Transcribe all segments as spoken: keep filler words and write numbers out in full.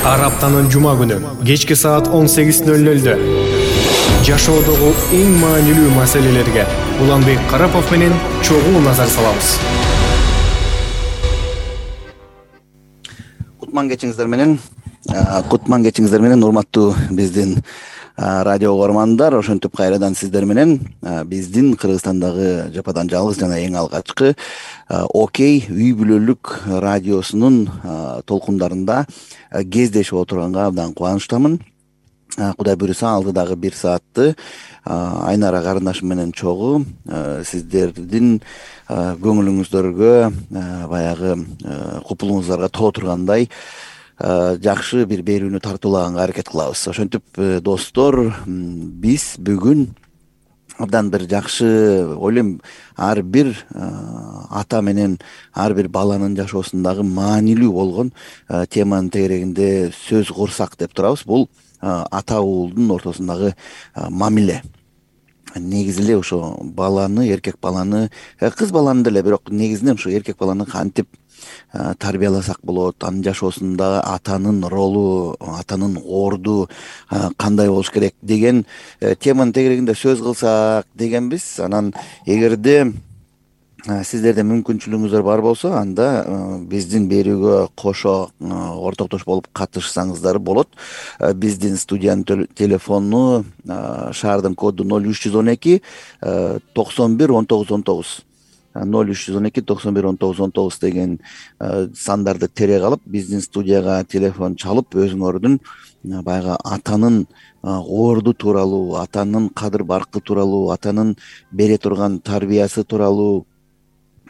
Ар аптанын жума күнү кечки саат он сегиз ноль нольдө жашоодогу эң маанилүү маселелерге Уланбек Карапов менен чогуу назар салабыз. Кутман кечиңиздер менен, кутман кечиңиздер менен урматтуу биздин радио угармандар, ошентип кайрадан сиздер менен биздин Кыргызстандагы жападан жалгыз жана эң алгачкы Окей үй бүлөлүк радиосунун толкундарында кездешип отурганга абдан кубанычтамын. Кудай буйруса алдыдагы бир саатты Айнара карындашым менен чогуу сиздердин көңүлүңүздөргө, баягы купулуңуздарга толо тургандай жакшы бир берүүнү тартуулаганга аракет кылабыз. Ошентип достор, биз бүгүн абдан бир жакшы, ойлойм, ар бир ата менен ар бир баланын жашоосундагы маанилүү болгон теманын тегерегинде сөз курсак деп турабыз. Бул ата уулдун ортосундагы мамиле. Негизи эле ошо баланы, эркек баланы, кыз баланы деле, бирок негизинен ошо эркек баланы кантип тарбияласак болот, анын жашоосундагы атанын ролу, атанын орду кандай болуш керек деген теманын тегерегинде сөз кылсак дегенбиз. Анан эгерде сиздерде мүмкүнчүлүгүңүздөр бар болсо, анда биздин берүүгө кошо ортоктош болуп катышсаңыздар болот. Биздин студиянын телефону шаардын коду ноль үч жүз он эки токсон бир он тогуз он тогуз. ноль үч жүз он эки токсон бир он тогуз он тогуз деген сандарды тереге алып, биздин студияга телефон чалып, өзүңөрдүн баягы атанын орду тууралуу, атанын кадыр баркы тууралуу, атанын бере турган тарбиясы тууралуу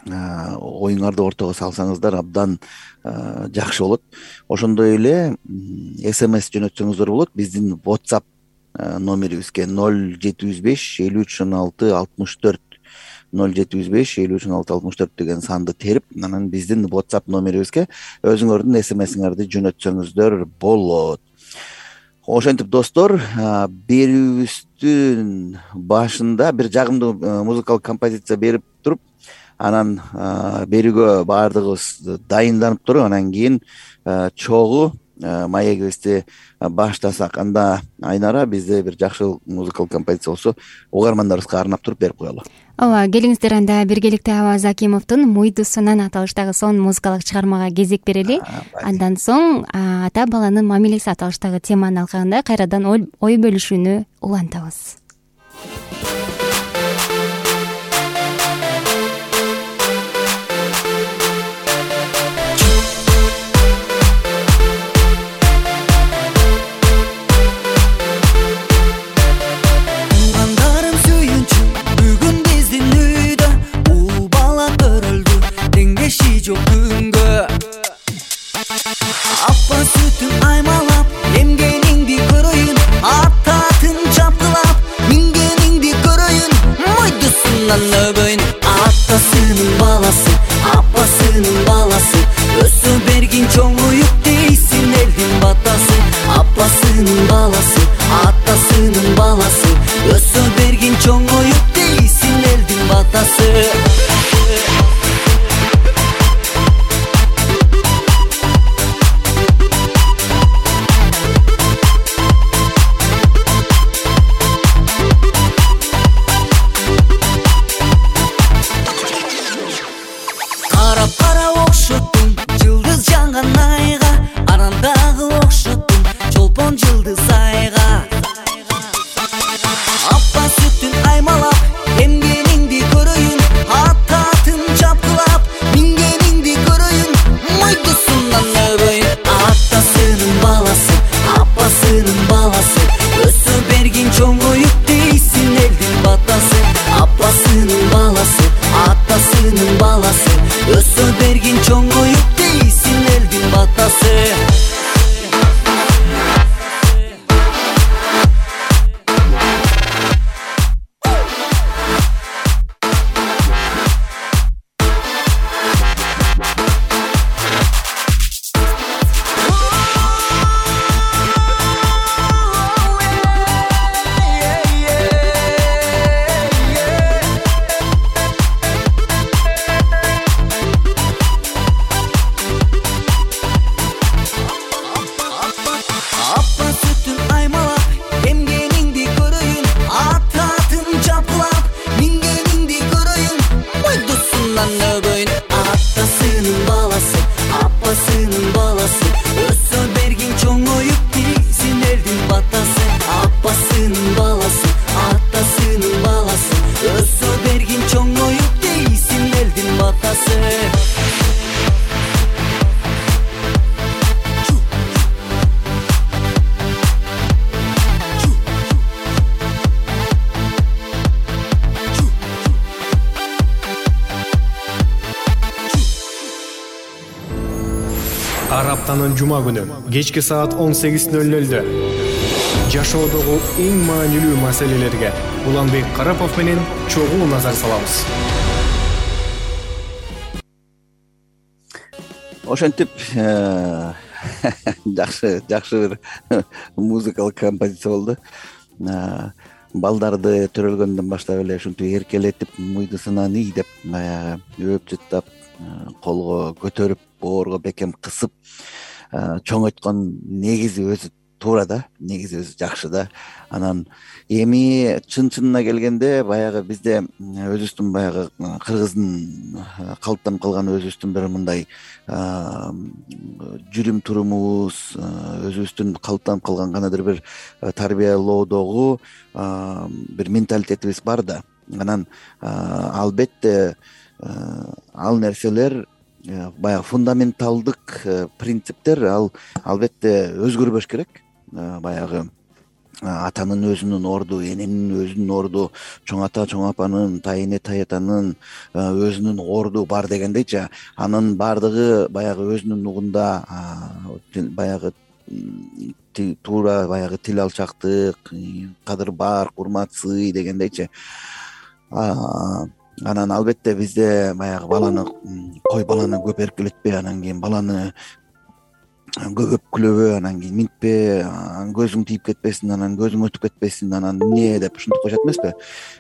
оюңарды ортого салсаңыздар абдан жакшы болот. Ошондой эле смс жөнөтсөңүздөр болот. Биздин WhatsApp номерибизге ноль жети жүз беш элүү үч он алты алтымыш төрт ноль жети жүз беш элүү үч он алты алтымыш төрт деген санды терип, анан биздин WhatsApp номерибизге өзүңөрдүн смсиңерди жөнөтсөңүздөр болот. Ошентип достор, берүүбүздүн башында бир жагымдуу музыкалык композиция берип туруп, анан берүүгө баардыгыбыз дайынданып туруп, анан кийин чогуу маегибизди баштасак. Анда Айнара, бизде бир жакшы музыкалык композиция болсо, угармандарыбызга арнап туруп берип коелу. Ооба, келиңиздер, анда биргеликте Аваз Акимовдун Муйдусунан аталыштагы сонун музыкалык чыгармага кезек берели. Андан соң ата баланын мамилеси аталыштагы теманын алкагында кайрадан ой бөлүшүүнү улантабыз. Жок күнгө апа сүтүн аймалап, эмгениңди көрөйүн, ататын чапкылап, мингениңди көрөйүн, мойдусунан өгөйүн. Атасынын баласы, апасынын баласы, өсө бергин чоңоюп дейсин элдин батасы. Апасынын баласы, атасынын баласы, өсө бергин чоңоюп дейсин элдин батасы. Аптанын жума күнү кечки саат он сегиз ноль нольдө жашоодогу эң маанилүү маселелерге Уланбек Карапов менен чогуу назар салабыз. Ошентип жакшы жакшы бир музыкалык композиция болду. Балдарды төрөлгөндөн баштап эле ушинтип эркелетип, мыйдысынан ий деп баягы өп жыттап, колго көтөрүп, боорго бекем кысып чоңойткон негизи өзү туура да, негизи өзү жакшы да. Анан эми чын-чынына келгенде баягы бизде өзүбүздүн баягы кыргыздын калыптанып калган өзүбүздүн бир мындай жүрүм турумубуз, өзүбүздүн калыптанып калган кандайдыр бир тарбиялоодогу бир менталитетибиз бар да. Анан албетте ал нерселер баягы фундаменталдык принциптер ал албетте өзгөрбөш керек. Баягы атанын өзүнүн орду, эненин өзүнүн орду, чоң ата, чоң апанын, тайэне, таятанын өзүнүн орду бар дегендейчи, анын баардыгы баягы өзүнүн нугунда баягы туура баягы тил алчактык, кадыр барк, урмат, сый дегендейчи. Анан албетте бизде баягы баланы кой баланы көп эркелетпе, анан кийин баланы көп өпкүлөбө, анан кийин минтпе, көзүң тийип кетпесин, анан көзүң өтүп кетпесин, анан эмне деп ушинтип коюшат эмеспи?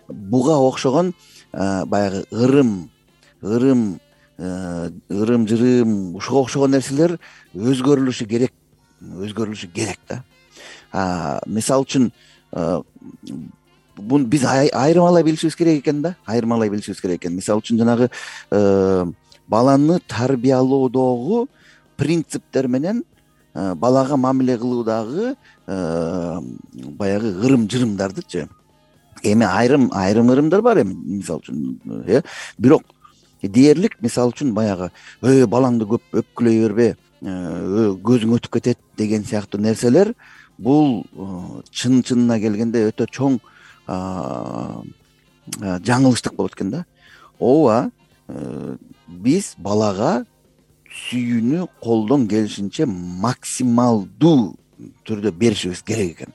Буга окшогон баягы ырым, ырым, ырым-жырым, ушуга окшогон нерселер өзгөрүлүшү керек, өзгөрүлүшү керек да. Мисалы үчүн буну биз айырмалай билишибиз керек экен да, айырмалай билишибиз керек экен. Мисалы үчүн жанагы баланы тарбиялоодогу принциптер менен балага мамиле кылуудагы баягы ырым-жырымдардычы. Эми айрым айрым ырымдар бар эми, мисалы үчүн, э, бирок дээрлик мисалы үчүн баягы өө балаңды көп өпкүлөй бербе, көзүң өтүп кетет деген сыяктуу нерселер бул чын-чынына келгенде өтө чоң жаңылыштык болот экен да. Ооба, биз балага сүйүүнү колдон келишинче максималдуу түрдө беришибиз керек экен.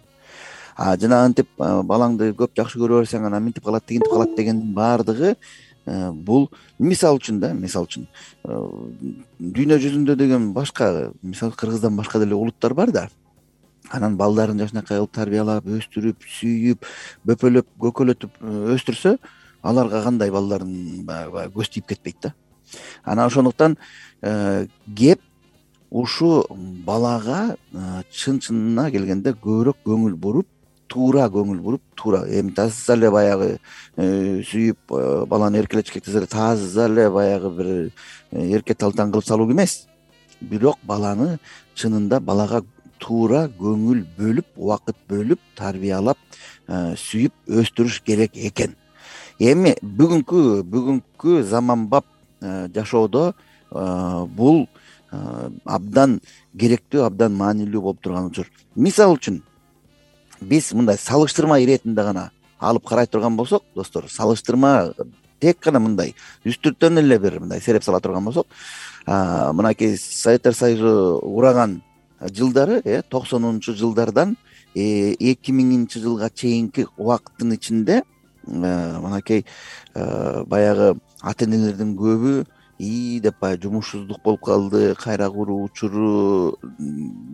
А жанагынтип балаңды көп жакшы көрө берсең, анан минтип калат, тигинтип калат дегендин баардыгы бул мисалы үчүн да, мисалы үчүн дүйнө жүзүндө деген башка, мисалы Кыргыздан башка деле улуттар бар да. Анан балдарын жакшынакай кылып тарбиялап, өстүрүп, сүйүп, бөпөлөп, көкөлөтүп өстүрсө, аларга кандай балдарын баягы көз тийип кетпейт да. Анан ошондуктан кеп ушу балага чын-чынына келгенде көбүрөөк көңүл буруп, туура көңүл буруп, туура эми таза эле баягы сүйүп баланы эркелетишке кетсе эле таза эле баягы бир эрке талтан кылып салуу эмес. Бирок баланы чынында балага туура көңүл бөлүп, убакыт бөлүп, тарбиялап, сүйүп өстүрүш керек экен. Эми бүгүнкү бүгүнкү заманбап жашоодо бул абдан керектүү, абдан маанилүү болуп турган учур. Мисалы үчүн биз мындай салыштырма иретинде гана алып карай турган болсок, достор, салыштырма тек гана мындай үстүртөн эле бир мындай сереп сала турган болсок, мынакей Советтер Союзу ураган жылдары, э токсонунчу жылдардан эки миңинчи жылга чейинки убакыттын ичинде мынакей баягы ата-энелердин көбү ии деп баягы жумушсуздук болуп калды, кайра куруу учуру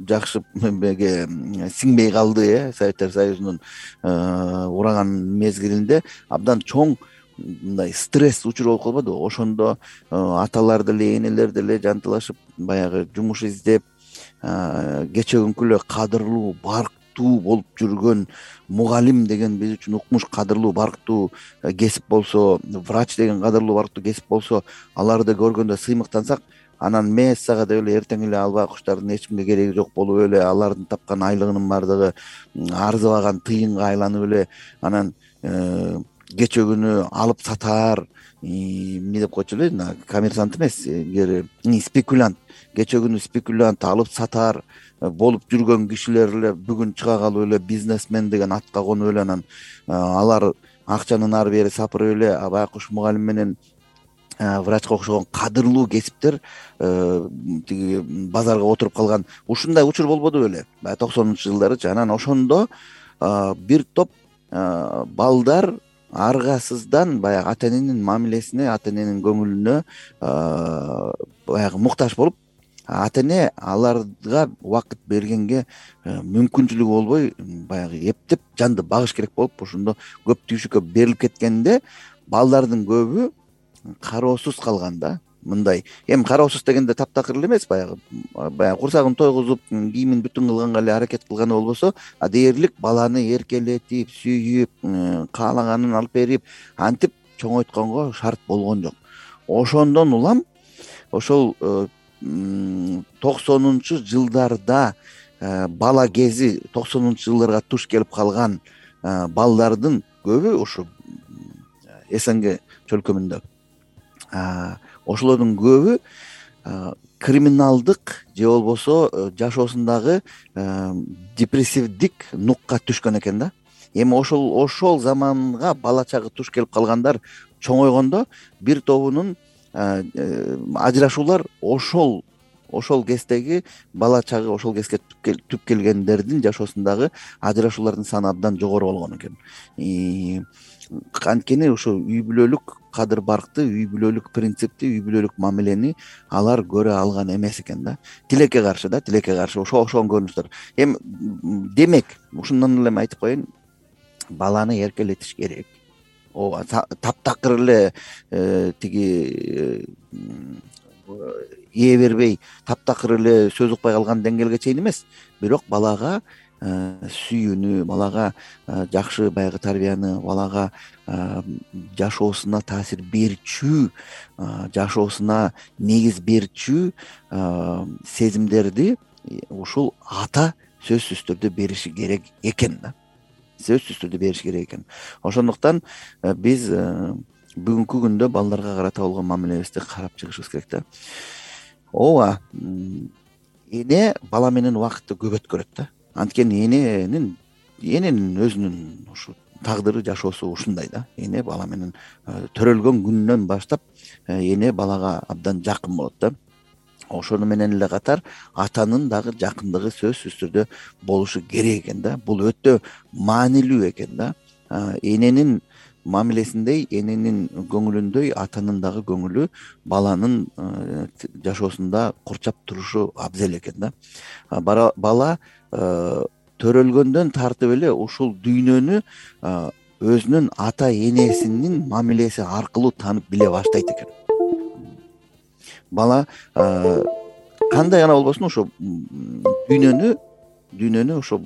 жакшы сиңбей калды, э Советтер Союзунун ураган мезгилинде абдан чоң мындай стресс учуру болуп калбадыбы? Ошондо аталар деле, энелер деле жантылашып баягы жумуш издеп, кече күнкү эле кадырлуу, барктуу болуп жүргөн мугалим деген биз үчүн укмуш кадырлуу, барктуу кесип болсо, врач деген кадырлуу, барктуу кесип болсо, аларды көргөндө сыймыктансак, анан мессага деп эле эртең эле албай куштардын эч кимге кереги жок болуп эле, алардын тапкан айлыгынын баардыгы арзыбаган тыйынга айланып эле, анан кече күнү алып сатаар, эмне деп койчу эле, коммерсант эмес, спекулянт, кече күнү спекулянт, алып сатаар болуп жүргөн кишилер эле бүгүн чыга калып эле бизнесмен деген атка конуп эле, анан алар акчанын ары бери сапырып эле, баягы ушу мугалим менен врачка окшогон кадырлуу кесиптер тиги базарга отуруп калган ушундай учур болбоду беле баягы токсонунчу жылдарычы. Анан ошондо бир топ балдар аргасыздан баягы ата эненин мамилесине, ата эненин көңүлүнө баягы муктаж болуп, ата эне аларга убакыт бергенге мүмкүнчүлүгү болбой баягы эптеп жанды багыш керек болуп, ошондо көп түйшүккө берилип кеткенде балдардын көбү кароосуз калган да. Мындай эми кароосуз дегенде таптакыр эле эмес, баягы баягы курсагын тойгузуп, кийимин бүтүн кылганга эле аракет кылганы болбосо, а дээрлик баланы эркелетип, сүйүп, каалаганын алып берип, антип чоңойтконго шарт болгон жок. Ошондон улам ошол токсонунчу жылдарда бала кези, токсонунчу жылдарга туш келип калган балдардын көбү ушу СНГ чөлкөмүндө ошолордун көбү криминалдык же болбосо жашоосундагы депрессивдик нукка түшкөн экен да. Эми ошол ошол заманга бала чагы туш келип калгандар чоңойгондо бир тобунун ажырашуулар ошол ошол кездеги бала чагы ошол кезге түп келгендердин жашоосундагы ажырашуулардын саны абдан жогору болгон экен. Анткени ошо үй бүлөлүк кадыр баркты, үй бүлөлүк принципти, үй бүлөлүк мамилени алар көрө алган эмес экен да. Тилекке каршы да, тилекке каршы ошо ошон көрүнүштөр. Эми демек, ушундан эле айтып коеюн, баланы эркелетиш керек. Ооба, таптакыр эле тиги ээ бербей, таптакыр эле сөз укпай калган деңгээлге чейин эмес, бирок балага сүйүүнү, балага жакшы баягы тарбияны, балага жашоосуна таасир берчү, жашоосуна негиз берчү сезимдерди ушул ата сөзсүз түрдө бериши керек экен да. Сөзсүз түрдө бериши керек экен. Ошондуктан биз бүгүнкү күндө балдарга карата болгон мамилебизди карап чыгышыбыз керек да. Ооба, эне бала менен убакытты көп өткөрөт да. Анткени эненин эненин өзүнүн ушу тагдыры, жашоосу ушундай да. Эне бала менен төрөлгөн күнүнөн баштап эне балага абдан жакын болот да. Ошону менен эле катар атанын дагы жакындыгы сөзсүз түрдө болушу керек экен да. Бул өтө маанилүү экен да. Эненин мамилесиндей, эненин көңүлүндөй атанын дагы көңүлү баланын жашоосунда курчап турушу абзел экен да. Бала төрөлгөндөн тартып эле ушул дүйнөнү өзүнүн ата энесинин мамилеси аркылуу таанып биле баштайт экен. Бала кандай гана болбосун ошо дүйнөнү дүйнөнү ошо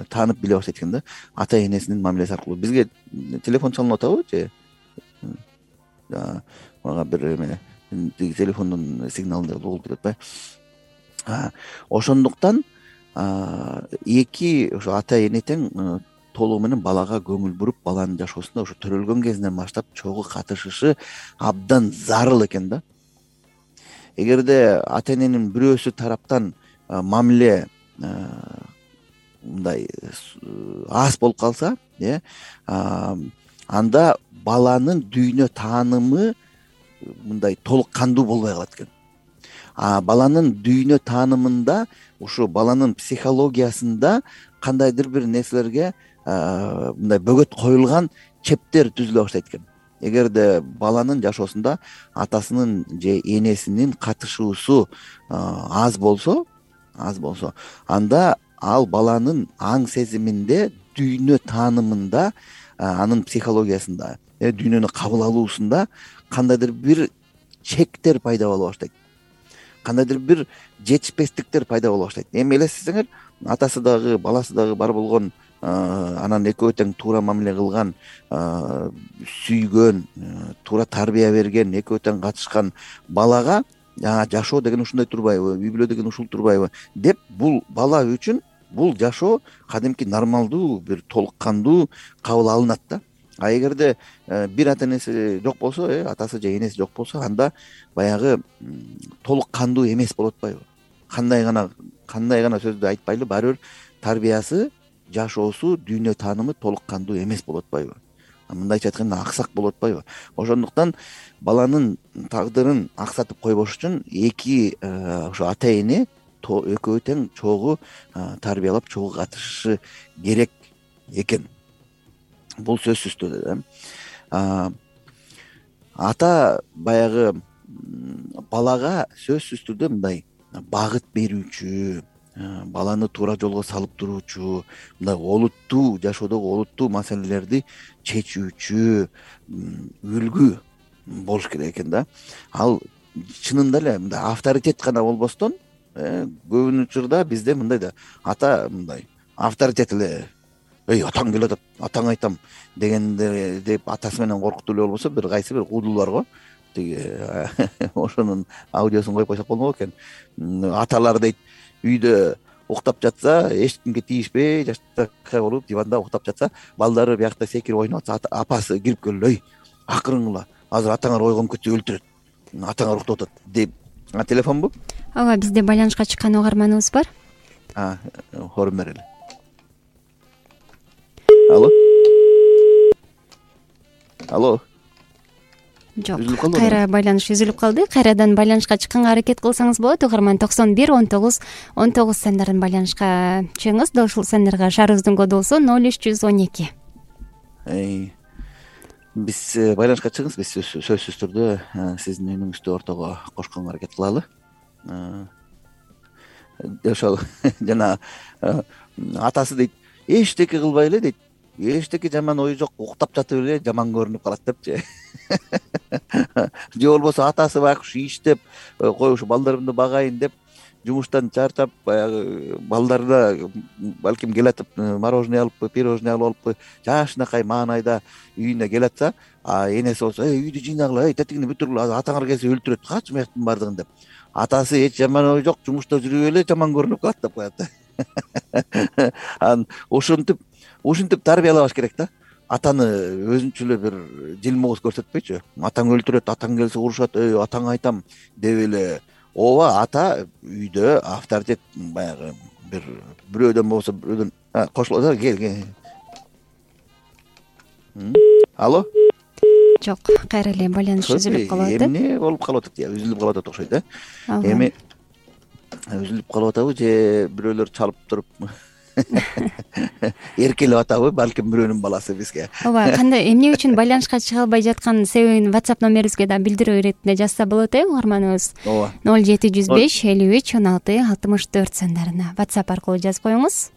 таанып биле баштайт экен да, ата энесинин мамилеси аркылуу. Бизге телефон чалынып атабы же мага бир эме телефондун сигналында угулуп кетет атпайбы. Ошондуктан эки ошо ата эне тең толугу менен балага көңүл буруп, баланын жашоосунда ошо төрөлгөн кезинен баштап чогуу катышышы абдан зарыл экен да. Эгерде ата эненин бирөөсү тараптан мамиле мындай аз болуп калса, э анда баланын дүйнө таанымы мындай толук кандуу болбой калат экен. А баланын дүйнө таанымында, ушу баланын психологиясында кандайдыр бир нерселерге мындай бөгөт коюлган чептер түзүлө баштайт экен. Эгерде баланын жашоосунда атасынын же энесинин катышуусу аз болсо, аз болсо, анда ал баланын аң сезиминде, дүйнө таанымында, анын психологиясында, дүйнөнү кабыл алуусунда кандайдыр бир чектер пайда боло баштайт. Кандайдыр бир жетишпестиктер пайда боло баштайт. Эми элестетсеңер, атасы дагы, баласы дагы бар болгон, анан экөө тең туура мамиле кылган, сүйгөн, туура тарбия берген, экөө тең катышкан балага жашоо деген ушундай турбайбы, үй бүлө деген ушул турбайбы деп, бул бала үчүн бул жашоо кадимки нормалдуу, бир толук кандуу кабыл алынат да. А эгерде бир ата энеси жок болсо, атасы же энеси жок болсо, анда баягы толук кандуу эмес болуп атпайбы? Кандай гана кандай гана сөздү айтпайлы, баары бир тарбиясы, жашоосу, дүйнө таанымы толук кандуу эмес болуп атпайбы? мындайча айтканда аксак болуп атпайбы. Ошондуктан баланын тагдырын аксатып койбош үчүн эки ошо ата эне экөө тең чогуу тарбиялап чогуу катышышы керек экен. Бул сөзсүз түрдө ата баягы балага сөзсүз түрдө мындай багыт берүүчү, баланы туура жолго салып туруучу, мындай олуттуу жашоодогу олуттуу маселелерди чечүүчү үлгү болуш керек экен да. Ал чынында эле мындай авторитет гана болбостон, көбүн учурда бизде мындай да ата мындай авторитет эле, эй атаң келатат, атаңа айтам дегенде деп атасы менен коркутуу эле болбосо, бир кайсы бир куудул барго. Тиги ошонун аудиосун коюп койсок болмок экен. Аталар дейт, үйдө уктап жатса, эч кимге тийишпей, жаштакай болуп диванда уктап жатса, балдары биякта секирип ойноп атса, апасы кирип келип, эй акырыңла, азыр атаңар ойгонуп кетсе өлтүрөт, атаңар уктап атат деп. Телефонбу? Ооба, бизде байланышка чыккан угарманыбыз бар. А, хорун берели. Алло. Алло. Жок, кайра байланыш үзүлүп калды. Кайрадан байланышка чыкканга аракет кылсаңыз болот. Угарман токсон бир он тогуз он тогуз сандарын байланышка чыгыңыз. Дал ушул сандарга шаарыбыздын коду болсо ноль үч жүз он эки. Биз байланышка чыгыңыз, биз сөзсүз түрдө сиздин үнүңүздү ортого кошконго аракет кылалы. Ошол жана атасы дейт, эчтеке кылбай эле дейт, эчтеке жаман ой жок, уктап жатып эле жаман көрүнүп калат депчи. Же болбосо атасы байкуш иштеп коюш, балдарымды багайын деп жумуштан чарчап, баягы балдарына балким келатып мороженое алыппы, пирожное алып алыппы, жашынакай маанайда үйүнө келатса, а энеси болсо, эй үйдү жыйнагыла, эй тетигине бүтүргүлө, атаңар келсе өлтүрөт, качы мыяктын бардыгын деп. Атасы эч жаман ой жок, жумушта жүрүп эле жаман көрүнүп калат деп коет. Анан ушинтип ушинтип тарбиялабаш керек да. Атаны өзүнчө эле бир жылмоос көрсөтпөйчү. Атаң өлтүрөт, атаң келсе урушат, эй атаңа айтам деп эле. Ооба, ата үйдө авторитет, баягы бир бирөөдөн болсо бирөөдөн кошулат. Кел, кел. Алло. Жок, кайра эле байланыш үзүлүп калып атат. Эмне болуп калып атат, үзүлүп калып атат окшойт, э? Эми үзүлүп калып атабы же бирөөлөр чалып туруп эркелеп атабы, балким бирөөнүн баласы бизге. Ооба, кандай эмне үчүн байланышка чыга албай жаткан себебин WhatsApp номерибизге да билдирүү иретинде жазса болот, э, угарманыбыз. Ооба. ноль жети жүз беш элүү үч он алты алтымыш төрт сандарына WhatsApp аркылуу жазып коюңуз.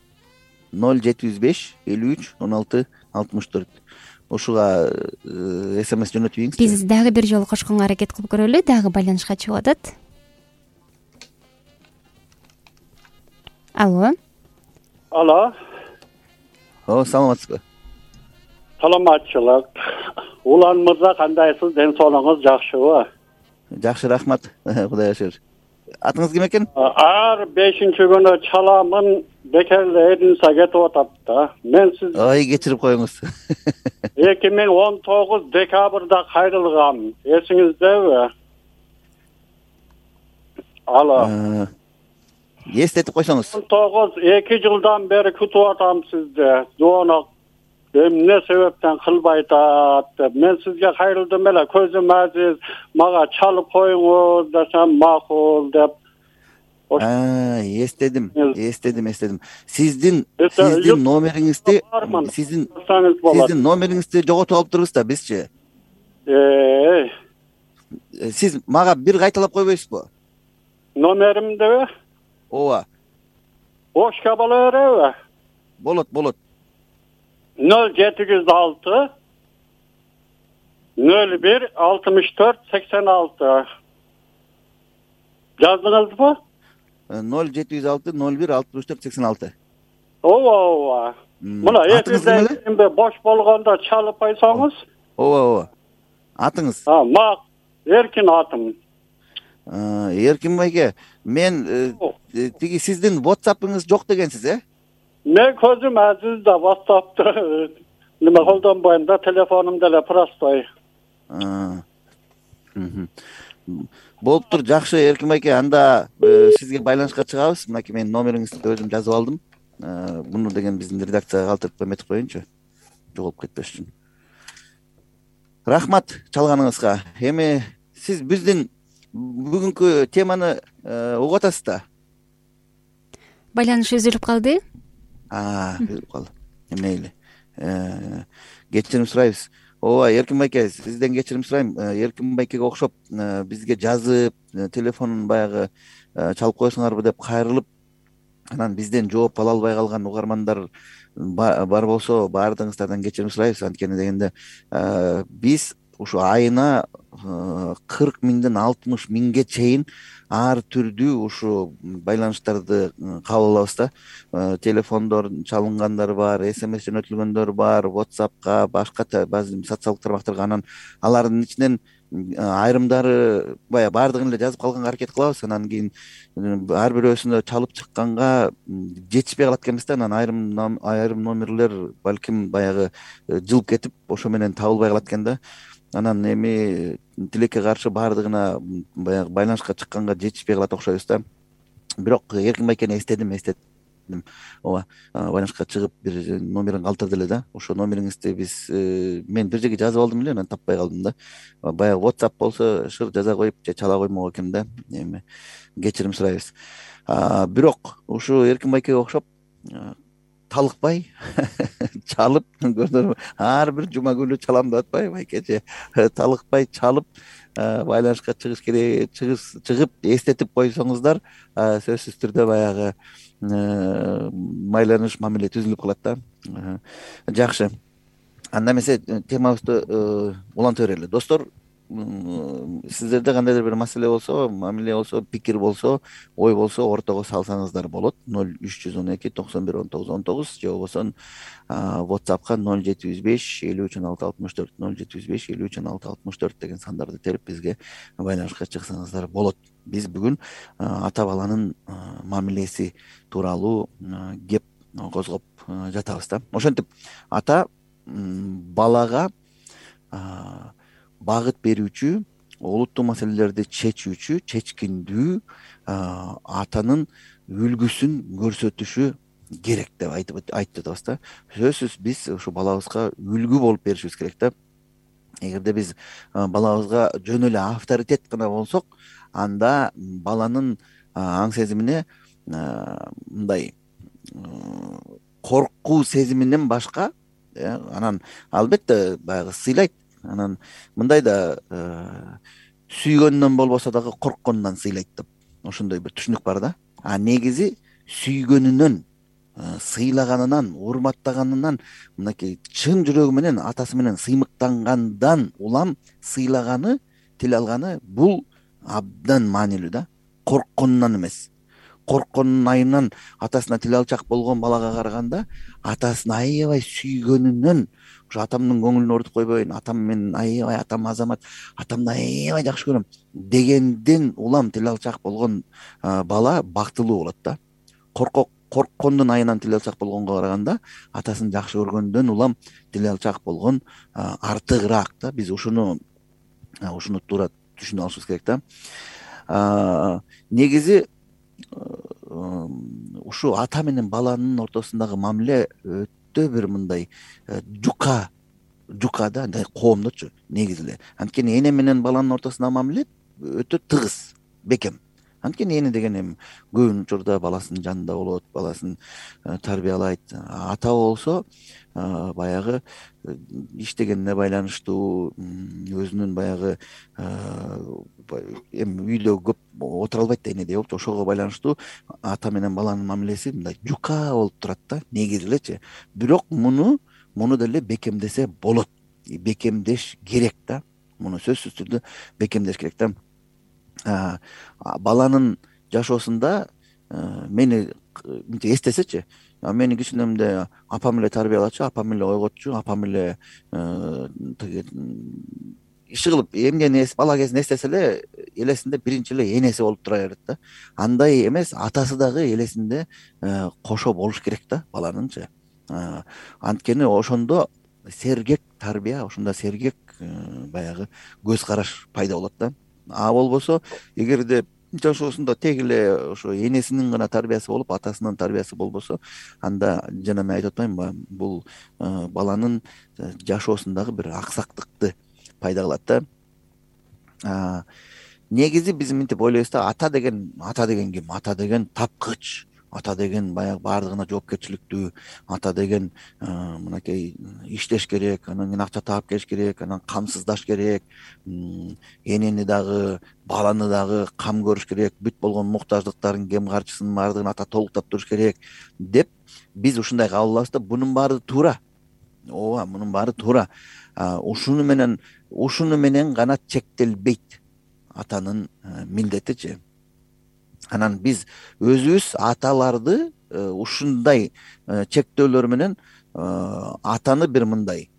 ноль жети жүз беш элүү үч он алты алтымыш төрт. Ушуга смс жөнөтүп ийиңиз. Биз дагы бир жолу кошконго аракет кылып көрөлү, дагы байланышка чыгып атат. Алло. Алло. О, саламатсызбы? Саламатчылык. Улан мырза, кандайсыз? Ден соолугуңуз жакшыбы? Жакшы, рахмат. Кудайга шүгүр. Атыңыз ким экен? Ар бешинчи күнү чаламын бекерде Эдинса кетип атат да. Мен сиз Ой, кечирип коюңуз. эки миң он тогуз декабрда кайрылгам. Эсиңиздеби? Алло. Эстетип койсоңуз. он тогуз эки жылдан бери күтүп атам сизди. Жоонок эмне себептен кылбай атат деп. Мен сизге кайрылдым эле, көзүм азиз, мага чалып коюңуз десем макул деп. А, эстедим, эстедим, эстедим. Сиздин сиздин номериңизди, сиздин сиздин номериңизди жоготуп алыптырбыз да бизчи. Э. Сиз мага бир кайталап койбойсузбу? Номеримдеби? Ооба. Бошка боло береби? Болот, болот. ноль жети жүз алты ноль бир алтымыш төрт сексен алты. Жаздыңызбы? ноль жети жүз алты ноль бир алтымыш төрт сексен алты. Ооба, ооба. Мына эсиңизден бош болгондо чалып койсоңуз. Ооба, ооба. Атыңыз? А, мак Эркин атым. Эркин байке, мен тиги сиздин WhatsApp'ыңыз жок дегенсиз, э? Мен көзүм азиз да WhatsApp'ты неме колдонбойм да, телефонум деле простой. Болуптур, жакшы Эркин байке, анда сизге байланышка чыгабыз. Мынакей менин номериңизди өзүм жазып алдым. Муну деген биздин редакцияга калтырып эметип коеюнчу, жоголуп кетпеш үчүн. Рахмат чалганыңызга. Эми сиз биздин бүгүнкү теманы угуп атасыз да? Байланыш үзүлүп калды. Үзүлүп калды. Мейли. Кечирим сурайбыз. Ооба, Эркин байке, сизден кечирим сурайм. Эркин байкеге окшоп бизге жазып, телефонун баягы чалып койсоңарбы деп кайрылып, анан бизден жооп ала албай калган угармандар бар болсо, баардыгыңыздардан кечирим сурайбыз. Анткени дегенде биз ушу айына кырк миңден алтымыш миңге чейин ар түрдүү ушу байланыштарды кабыл алабыз да. Телефондор чалынгандар бар, смс жөнөтүлгөндөр бар, WhatsAppка, башка баазы социалдык тармактарга. Анан алардын ичинен айрымдары баягы баардыгын эле жазып калганга аракет кылабыз. Анан кийин ар бирөөсүндө чалып чыкканга жетишпей калат экенбиз да. Анан айрым айрым номерлер балким баягы жылып кетип, ошо менен табылбай калат экен да. Анан эми тилекке каршы баардыгына баягы байланышка чыкканга жетишпей калат окшойбуз да. Бирок Эркин байкени эстедим, эстедим. Ооба, байланышка чыгып бир номерин калтырды эле да. Ошо номериңизди биз мен бир жерге жазып алдым эле, анан таппай калдым да. Баягы WhatsApp болсо шыр жаза коюп же чала коймок экен да. Эми кечирим сурайбыз. Бирок ушу Эркин байкеге окшоп талыкпай чалып, көрдүңөрбү? Ар бир жума күнү чалам деп атпайбы байкечи? Талыкпай чалып байланышка чыгыш керек, чыгып эстетип койсоңуздар, сөзсүз түрдө баягы байланыш мамиле түзүлүп калат да. Жакшы. Анда эмесе темабызды уланта берели. Достор, сиздерде кандайдыр бир маселе болсо, мамиле болсо, пикир болсо, ой болсо, ортого салсаңыздар болот. ноль үч жүз он эки токсон бир он тогуз он тогуз же болбосо WhatsAppка ноль жети жүз беш элүү үч он алты алтымыш төрт ноль жети жүз беш элүү үч он алты алтымыш төрт деген сандарды терип бизге байланышка чыксаңыздар болот. Биз бүгүн ата баланын мамилеси тууралуу кеп козгоп жатабыз да. Ошентип ата балага багыт берүүчү, олуттуу маселелерди чечүүчү, чечкиндүү атанын үлгүсүн көрсөтүшү керек деп айтып айтып жатабыз да. Сөзсүз биз ушу балабызга үлгү болуп беришибиз керек да. Эгерде биз балабызга жөн эле авторитет гана болсок, анда баланын аң сезимине мындай коркуу сезиминен башка, анан албетте баягы сыйлайт. Анан мындай да сүйгөнүнөн болбосо дагы коркконунан сыйлайт деп ошондой бир түшүнүк бар да. А негизи сүйгөнүнөн, сыйлаганынан, урматтаганынан, мынакей чын жүрөгү менен атасы менен сыймыктангандан улам сыйлаганы, тил алганы бул абдан маанилүү да. Коркконунан эмес. Коркконунун айынан атасына тил алчак болгон балага караганда, атасын аябай сүйгөнүнөн, ушу атамдын көңүлүн орутуп койбойн, атам менен аябай, атам азамат, атамды аябай жакшы көрөм дегенден улам тил алчак болгон бала бактылуу болот да. Коркок корккондун айынан тил алчак болгонго караганда, атасын жакшы көргөндөн улам тил алчак болгон артыгыраак да. Биз ушуну ушуну туура түшүнүп алышыбыз керек да. Негизи ушу ата менен баланын ортосундагы мамиле өтө бир мындай жука жука да, коомдочу негизи эле. Анткени эне менен баланын ортосундагы мамиле өтө тыгыз, бекем. Анткени эне деген эми көбүн учурда баласынын жанында болот, баласын тарбиялайт. Ата болсо баягы иштегенине байланыштуу, өзүнүн баягы эми үйдө көп отура албайт да энедей болчу, ошого байланыштуу ата менен баланын мамилеси мындай жука болуп турат да, негизи элечи. Бирок муну муну деле бекемдесе болот, бекемдеш керек да. Муну сөзсүз түрдө бекемдеш керек да. Баланын жашоосунда мени мынтип эстесечи, мени кичинемде апам эле тарбиялачу, апам эле ойготчу, апам эле иши кылып эмгени бала кезин эстесе эле элесинде биринчи эле энеси болуп тура берет да. Андай эмес, атасы дагы элесинде кошо болуш керек да баланынчы. Анткени ошондо сергек тарбия, ошондо сергек баягы көз караш пайда болот да. А болбосо, эгерде жашоосунда тег эле ошо энесинин гана тарбиясы болуп, атасынын тарбиясы болбосо, анда жана мен айтып атпаймынбы, бул баланын жашоосундагы бир аксактыкты пайда кылат да. Негизи биз мынтип ойлойбуз да, ата деген ата деген ким? Ата деген тапкыч, ата деген баягы баардыгына жоопкерчиликтүү, ата деген мынакей иштеш керек, анан кийин акча таап келиш керек, анан камсыздаш керек, энени дагы баланы дагы кам көрүш керек, бүт болгон муктаждыктарын, кем карчысын баардыгын ата толуктап туруш керек деп биз ушундай кабыл алабыз да. Бунун баары туура. ооба, мунун баары туура. Ушуну менен ушуну менен гана чектелбейт атанын милдетичи. Анан биз өзүбүз аталарды ушундай чектөөлөр менен атаны бир мындай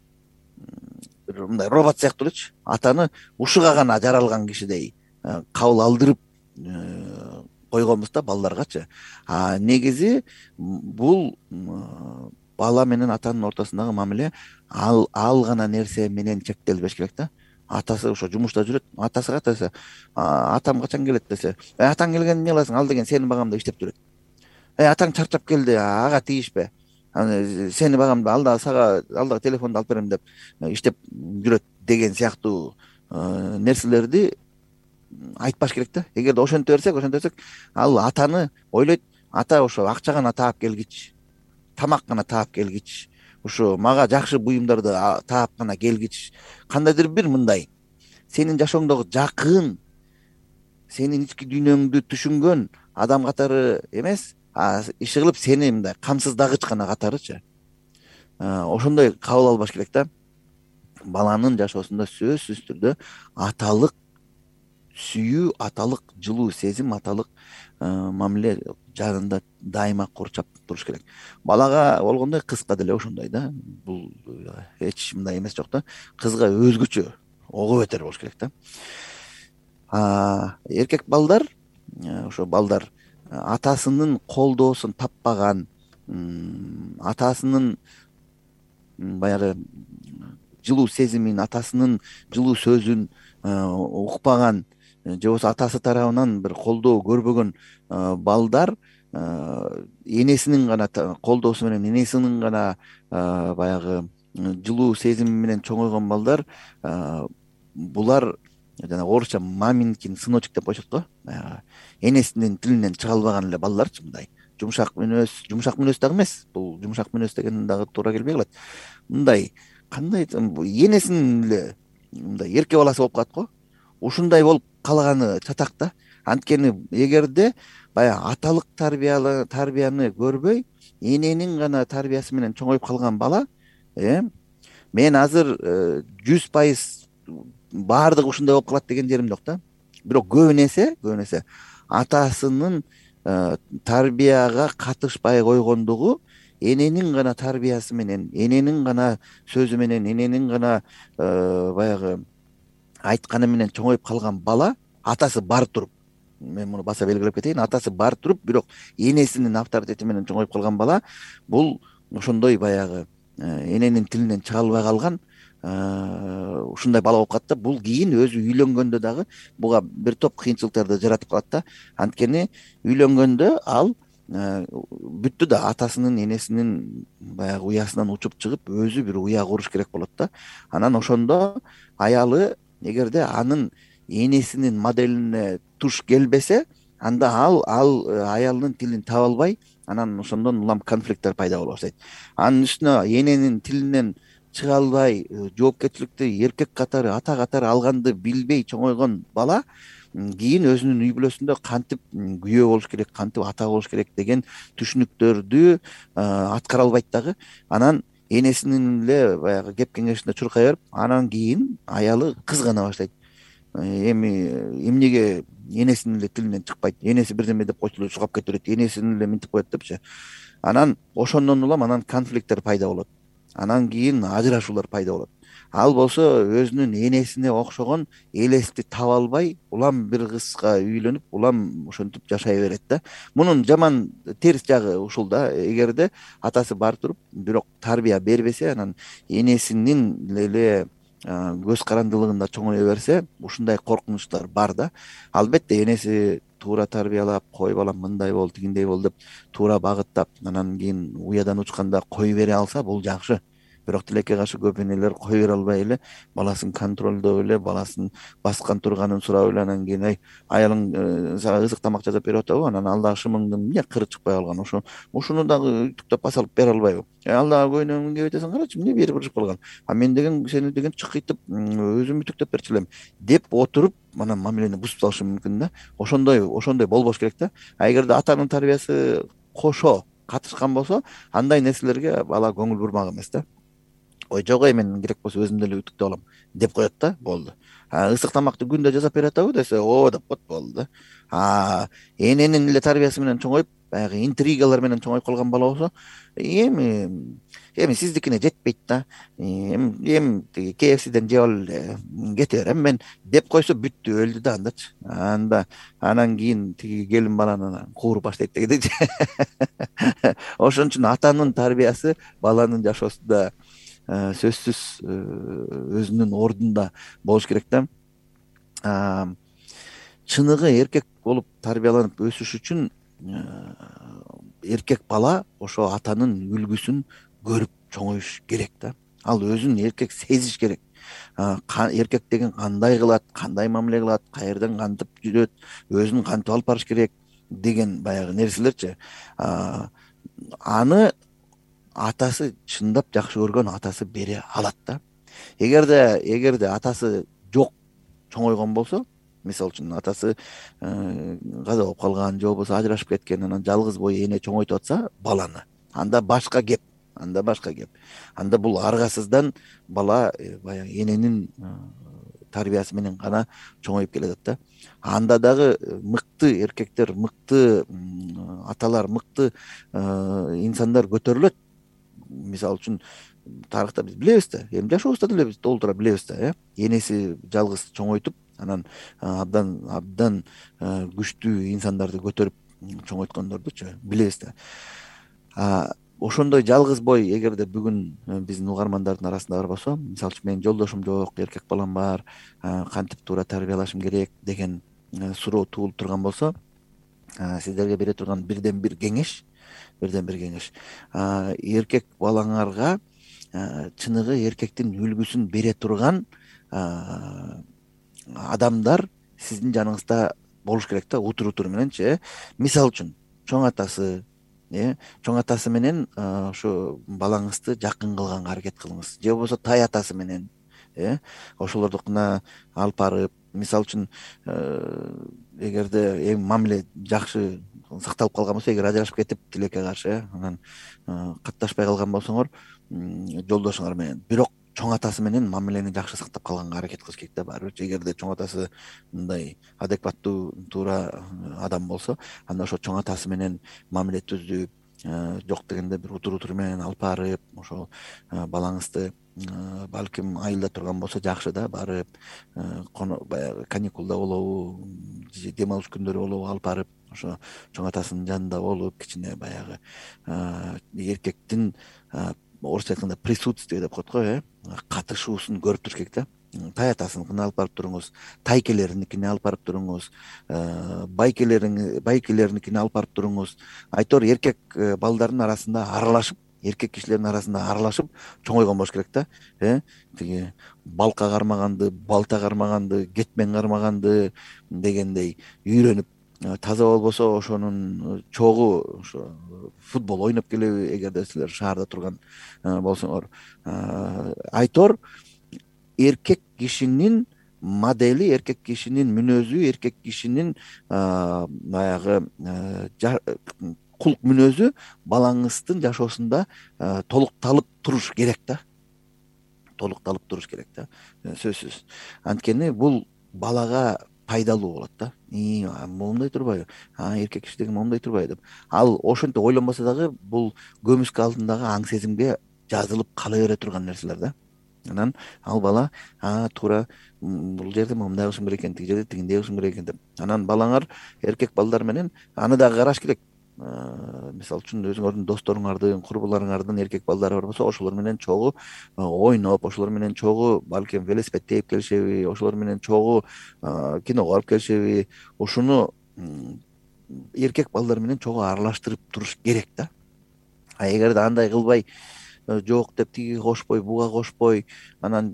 бир мындай робот сыяктуу элечи, атаны ушуга гана жаралган кишидей кабыл алдырып койгонбуз да балдаргачы. А негизи бул бала менен атанын ортосундагы мамиле ал ал гана нерсе менен чектелбеш керек да. Атасы ошо жумушта жүрөт, атасы кайтса, атам качан келет десе, атаң келгенде эмне кыласың? Ал деген сени багамда иштеп жүрөт. Э атаң чарчап келди, ага тийишпе. Сени багамда, ал да сага ал да телефонду алып берем деп иштеп жүрөт деген сыяктуу нерселерди айтпаш керек да. Эгерде ошентип берсек, ошентип берсек, ал атаны ойлойт, ата ошо акча гана таап келгич, тамак гана таап келгич, ушу мага жакшы буюмдарды таап гана келгич, кандайдыр бир мындай сенин жашооңдогу жакын, сенин ички дүйнөңдү түшүнгөн адам катары эмес, иши кылып сени мындай камсыздагыч гана катарычы. Ошондой кабыл албаш керек да. Баланын жашоосунда сөзсүз түрдө аталык сүйүү, аталык жылуу сезим, аталык мамиле жанында дайыма курчап туруш керек. Балага болгондой кызга деле ошондой да. Бул эч мындай эмес жок да. Кызга өзгөчө, ого бетер болуш керек да. Эркек балдар, ошо балдар атасынын колдоосун таппаган, атасынын баягы жылуу сезимин, атасынын жылуу сөзүн укпаган, же болбосо атасы тарабынан бир колдоо көрбөгөн балдар энесинин гана колдоосу менен, энесинин гана баягы жылуу сезими менен чоңойгон балдар, булар жана орусча маминкин сыночек деп коюшат го. Энесинин тилинен чыга албаган эле балдарчы, мындай жумшак мүнөз, жумшак мүнөз дагы эмес. Бул жумшак мүнөз деген дагы туура келбей калат. Мындай кандай энесинин эле мындай эрке баласы болуп калат го. Ушундай болуп калганы чатак да. Анткени эгерде баягы аталык тарбияны тарбияны көрбөй, эненин гана тарбиясы менен чоңоюп калган бала, э мен азыр жүз пайыз баардыгы ушундай болуп калат деген жерим жок да. Бирок көбүн эсе, көбүн эсе атасынын тарбияга катышпай койгондугу эненин гана тарбиясы менен, эненин гана сөзү менен, эненин гана баягы айтканы менен чоңоюп калган бала, атасы бар туруп, мен муну баса белгилеп кетейин, атасы бар туруп, бирок энесинин авторитети менен чоңоюп калган бала, бул ошондой баягы эненин тилинен чыга албай калган ушундай бала болуп калат да. Бул кийин өзү үйлөнгөндө дагы буга бир топ кыйынчылыктарды жаратып калат да. Анткени үйлөнгөндө ал бүттү да, атасынын, энесинин баягы уясынан учуп чыгып, өзү бир уя куруш керек болот да. Анан ошондо аялы эгерде анын энесинин моделине туш келбесе, анда ал ал аялынын тилин таба албай, анан ошондон улам конфликттер пайда боло баштайт. Анын үстүнө эненин тилинен чыга албай, жоопкерчиликти эркек катары, ата катары алганды билбей чоңойгон бала кийин өзүнүн үй бүлөсүндө кантип күйөө болуш керек, кантип ата болуш керек деген түшүнүктөрдү аткара албайт дагы. Анан энесинин эле баягы кеп кеңешинде чуркай берип, анан кийин аялы кызгана баштайт. Эми эмнеге энесинин эле тилинен чыкпайт, энеси бирдеме деп койсо эле чуркап кете берет, энесин эле минтип коет депчи. Анан ошондон улам анан конфликттер пайда болот. Анан кийин ажырашуулар пайда болот. Ал болсо өзүнүн энесине окшогон элести таба албай, улам бир кызга үйлөнүп, улам ошентип жашай берет да. Мунун жаман терс жагы ушул да. Эгерде атасы бар туруп, бирок тарбия бербесе, анан энесинин эле көз карандылыгында чоңое берсе, ушундай коркунучтар бар да. Албетте энеси туура тарбиялап, кой балам мындай бол, тигиндей бол деп туура багыттап, анан кийин уядан учканда кой бере алса, бул жакшы. бирок тилекке каршы көп энелер кое бере албай эле баласын контролдоп эле, баласын баскан турганын сурап эле, анан кийин ай аялың сага ысык тамак жасап берип атабы, анан ал дагы шымыңдын эмне кыры чыкпай калган, ошо ушуну дагы үтүктөп баса алып бере албайбы? Ал дагы көйнөгүн кийип атасың, карачы эмне бери бырышып калган, а мен деген сени деген чыкыйтып өзүм үтүктөп берчү элем деп отуруп анан мамилени бузуп салышы мүмкүн да. Ошондой ошондой болбош керек да. А эгерде атанын тарбиясы кошо катышкан болсо, андай нерселерге бала көңүл бурмак эмес да. Ой жок, эй мен керек болсо өзүм деле үтүктөп алам деп коет да, болду. А ысык тамакты күндө жасап берип атабы десе, о деп коет, болду да. А эненин эле тарбиясы менен чоңоюп, баягы интригалар менен чоңоюп калган бала болсо, эми эми сиздикине жетпейт да, эми эми тиги кей эф сиден жеп алып эле кете берем мен деп койсо, бүттү, өлдү да андачы. Анда анан кийин тиги келин баланы кууруп баштайт дегендейчи. Ошон үчүн атанын тарбиясы баланын жашоосунда сөзсүз өзүнүн ордунда болуш керек да. Чыныгы эркек болуп тарбияланып өсүш үчүн эркек бала ошо атанын үлгүсүн көрүп чоңоюш керек да. Ал өзүн эркек сезиш керек. Эркек деген кандай кылат, кандай мамиле кылат, каерден кантип жүрөт, өзүн кантип алып барыш керек деген баягы нерселерчи. Аны атасы чындап жакшы көргөн атасы бере алат да. Эгерде эгерде атасы жок чоңойгон болсо, мисалы үчүн атасы каза болуп калган же болбосо ажырашып кеткен, анан жалгыз бой эне чоңойтуп атса баланы, анда башка кеп, анда башка кеп. Анда бул аргасыздан бала баягы эненин тарбиясы менен гана чоңоюп келатат да. Анда дагы мыкты эркектер, мыкты аталар, мыкты инсандар көтөрүлөт. Мисалы үчүн тарыхта биз билебиз да, эми жашообузда деле биз толтура билебиз да, э энеси жалгыз чоңойтуп, анан абдан абдан күчтүү инсандарды көтөрүп чоңойткондордучу билебиз да. Ошондой жалгыз бой эгерде бүгүн биздин угармандардын арасында бар болсо, мисалы үчүн менин жолдошум жок, эркек балам бар, кантип туура тарбиялашым керек деген суроо туулуп турган болсо, сиздерге бере турган бирден бир кеңеш, бирден бир кеңеш, эркек балаңарга чыныгы эркектин үлгүсүн бере турган адамдар сиздин жаныңызда болуш керек да, утур утур мененчи. Мисалы үчүн чоң атасы, э чоң атасы менен ошо балаңызды жакын кылганга аракет кылыңыз, же болбосо тай атасы менен, э ошолордукуна алып барып, мисалы үчүн эгерде эми мамиле жакшы сакталып калган болсо, эгер ажырашып кетип тилекке каршы анан катташпай калган болсоңор жолдошуңар менен, бирок чоң атасы менен мамилени жакшы сактап калганга аракет кылыш керек да. Баары бир эгерде чоң атасы мындай адекваттуу, туура адам болсо, анда ошо чоң атасы менен мамиле түзүп, жок дегенде бир утур утур менен алып барып, ошол балаңызды балким айылда турган болсо жакшы да, барып баягы каникулда болобу, дем алыш күндөрү болобу алып барып, ошо чоң атасынын жанында болуп, кичине баягы эркектин орусча айтканда присутствие деп коет го, э катышуусун көрүп туруш керек да. Тай атасыныкына алып барып туруңуз, тайкелериникине алып барып туруңуз, байкелериң байкелериникине алып барып туруңуз. Айтор эркек балдардын арасында аралашып, эркек кишилердин арасында аралашып чоңойгон болуш керек да. Э тиги балка кармаганды, балта кармаганды, кетмен кармаганды дегендей үйрөнүп, таза болбосо ошонун чогу ошо футбол ойноп келеби, эгерде силер шаарда турган болсоңор. Айтор эркек кишинин модели, эркек кишинин мүнөзү, эркек кишинин баягы кулк мүнөзү балаңыздын жашоосунда толукталып туруш керек да. Толукталып туруш керек да, сөзсүз. Анткени бул балага пайдалуу болот да. И момундай турбайбы? А эркек киши деген момундай турбайбы деп. Ал ошентип ойлонбосо дагы бул көмүскө алдындагы аң сезимге жазылып кала бере турган нерселер да. Анан ал бала а туура бул жерде момундай кылышым керек экен, тиги жерде тигиндей кылышым керек экен деп. Анан балаңар эркек балдар менен аны дагы караш керек. Мисалы үчүн өзүңөрдүн досторуңардын, курбуларыңардын эркек балдары бар болсо, ошолор менен чогуу ойноп, ошолор менен чогуу балким велосипед тээп келишеби, ошолор менен чогуу киного барып келишеби, ушуну эркек балдар менен чогуу аралаштырып туруш керек да. А эгерде андай кылбай жок деп тиги кошпой буга кошпой анан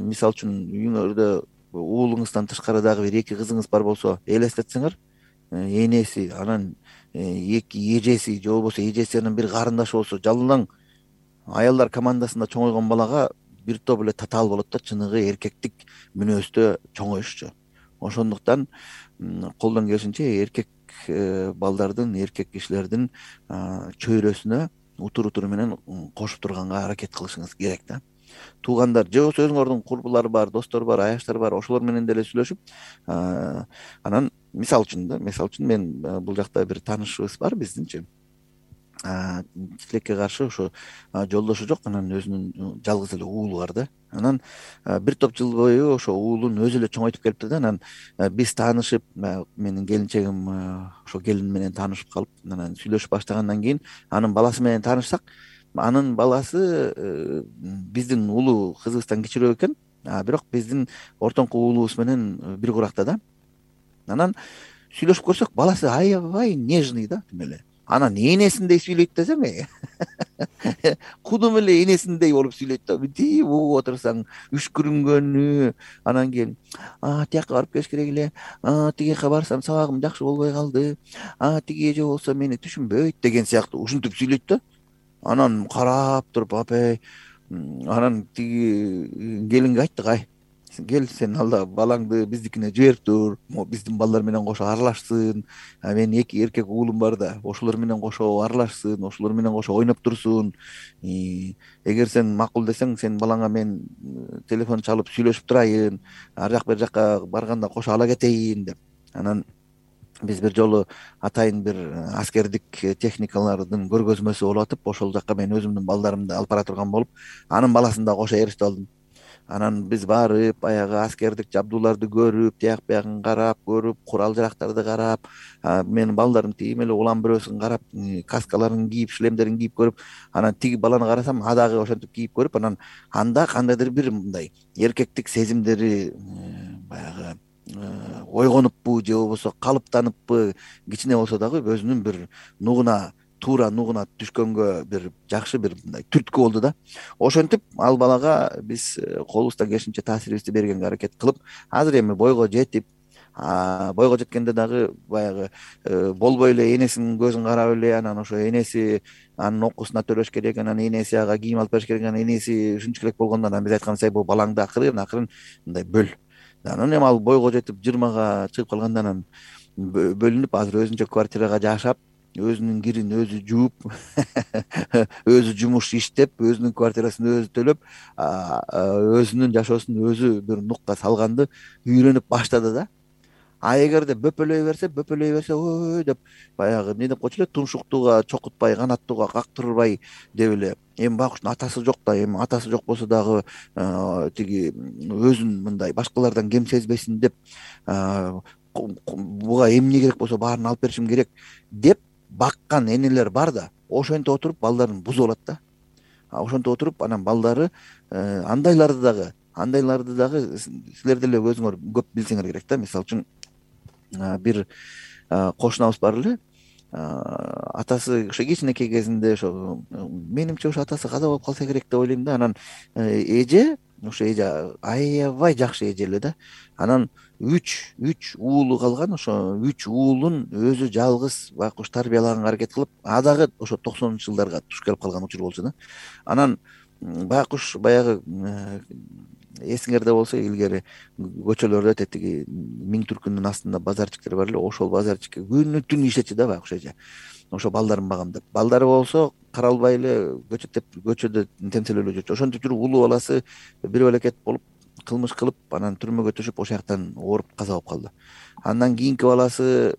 мисалы үчүн үйүңөрдө уулуңуздан тышкары дагы бир эки кызыңыз бар болсо элестетсеңер энеси анан эки эжеси же болбосо эжесинин бир карындашы болсо жалаң аялдар командасында чоңойгон балага бир топ эле татаал болот да, чыныгы эркектик мүнөздө чоңоюшчу. Ошондуктан колдон келишинче эркек балдардын, эркек кишилердин чөйрөсүнө утур утуру менен кошуп турганга аракет кылышыңыз керек да. Туугандар же болбосо өзүңөрдүн курбулар бар, достор бар, аяштар бар, ошолор менен деле сүйлөшүп, анан мисалы үчүн да, мисалы үчүн мен бул жакта бир таанышыбыз бар биздинчи. Тилекке каршы ошо жолдошу жок, анан өзүнүн жалгыз эле уулу бар да. Анан бир топ жыл бою ошо уулун өзү эле чоңойтуп келипти да. Анан биз таанышып, менин келинчегим ошо келин менен таанышып калып, анан сүйлөшүп баштагандан кийин анын баласы менен таанышсак, анын баласы биздин улуу кызыбыздан кичирөөк экен, бирок биздин ортоңку уулубуз менен бир куракта да. Анан сүйлөшүп көрсөк, баласы аябай нежный да, тим эле. Анан энесиндей сүйлөйт десең, кудум эле энесиндей болуп сүйлөйт да. Мынтип угуп отурсаң, үшкүрүнгөнү, анан кийин тияка барып келиш керек эле, тиги жака барсам сабагым жакшы болбой калды, тиги эже болсо мени түшүнбөйт деген сыяктуу ушинтип сүйлөйт да. Анан карап туруп, апай, анан тиги келинге айттык, ай, кел сен алда балаңды биздикине жиберип тур, биздин балдар менен кошо аралашсын, менин эки эркек уулум бар да, ошолор менен кошо аралашсын, ошолор менен кошо ойноп турсун. Эгер сен макул десең, сен балаңа мен телефон чалып сүйлөшүп турайын, ар жак бер жакка барганда кошо ала кетейин деп. Анан биз бир жолу атайын бир аскердик техникалардын көргөзмөсү болуп атып, ошол жакка мен өзүмдүн балдарымды алып бара турган болуп, анын баласын да кошо ээрчитип алдым. Анан биз барып, баягы аскердик жабдууларды көрүп, тияк биягын карап көрүп, курал жарактарды карап, менин балдарым тим эле улам бирөөсүн карап, каскаларын кийип, шлемдерин кийип көрүп, анан тиги баланы карасам, а дагы ошентип кийип көрүп, анан анда кандайдыр бир мындай эркектик сезимдери баягы ойгонуппу же болбосо калыптаныппы, кичине болсо дагы өзүнүн бир нугуна, туура нугуна түшкөнгө бир жакшы бир мындай түрткү болду да. Ошентип ал балага биз колубуздан келишинче таасирибизди бергенге аракет кылып, азыр эми бойго жетип, бойго жеткенде дагы баягы болбой эле энесинин көзүн карап эле, анан ошо энеси анын окуусуна төлөш керек, анан энеси ага кийим алып бериш керек, анан энеси ушунча элек болгондо анан биз айтканбыз, ай, бул балаңды акырын акырын мындай бөл. Анан эми ал бойго жетип жыйырмага чыгып калганда анан бөлүнүп, азыр өзүнчө квартирага жашап, өзүнүн кирин өзү жууп, өзү жумуш иштеп, өзүнүн квартирасын өзү төлөп, өзүнүн жашоосун өзү бир нукка салганды үйрөнүп баштады да. А эгерде бөпөлөй берсе, бөпөлөй берсе, ой деп баягы эмне деп койчу эле, тумшуктууга чокутпай, канаттууга кактырбай деп эле. Эми байкуштун атасы жок да, эми атасы жок болсо дагы тиги өзүн мындай башкалардан кем сезбесин деп, буга эмне керек болсо баарын алып беришим керек деп баккан энелер бар да. Ошентип отуруп балдарын бузуп алат да. Ошентип отуруп анан балдары андайларды дагы, андайларды дагы силер деле өзүңөр көп билсеңер керек да. Мисалы үчүн бир кошунабыз бар эле, атасы ошо кичинекей кезинде ошо менимче ошо атасы каза болуп калса керек деп ойлойм да. Анан эже, ошо эже аябай жакшы эже эле да. Анан үч үч уулу калган, ошо үч уулун өзү жалгыз байкуш тарбиялаганга аракет кылып, а дагы ошо токсонунчу жылдарга туш келип калган учур болчу да. Анан байкуш баягы эсиңерде болсо, илгери көчөлөрдө тетиги Миң түркүнүн астында базарчиктер бар эле, ошол базарчикке күнү түн иштечү да байкуш эже. Ошо балдарын багамдап, балдары болсо каралбай эле көчөтөп, көчөдө темселеп эле жүрчү. Ошентип жүрүп улуу баласы бир белекет болуп, кылмыш кылып, анан түрмөгө түшүп, ошол жактан ооруп каза болуп калды. Андан кийинки баласы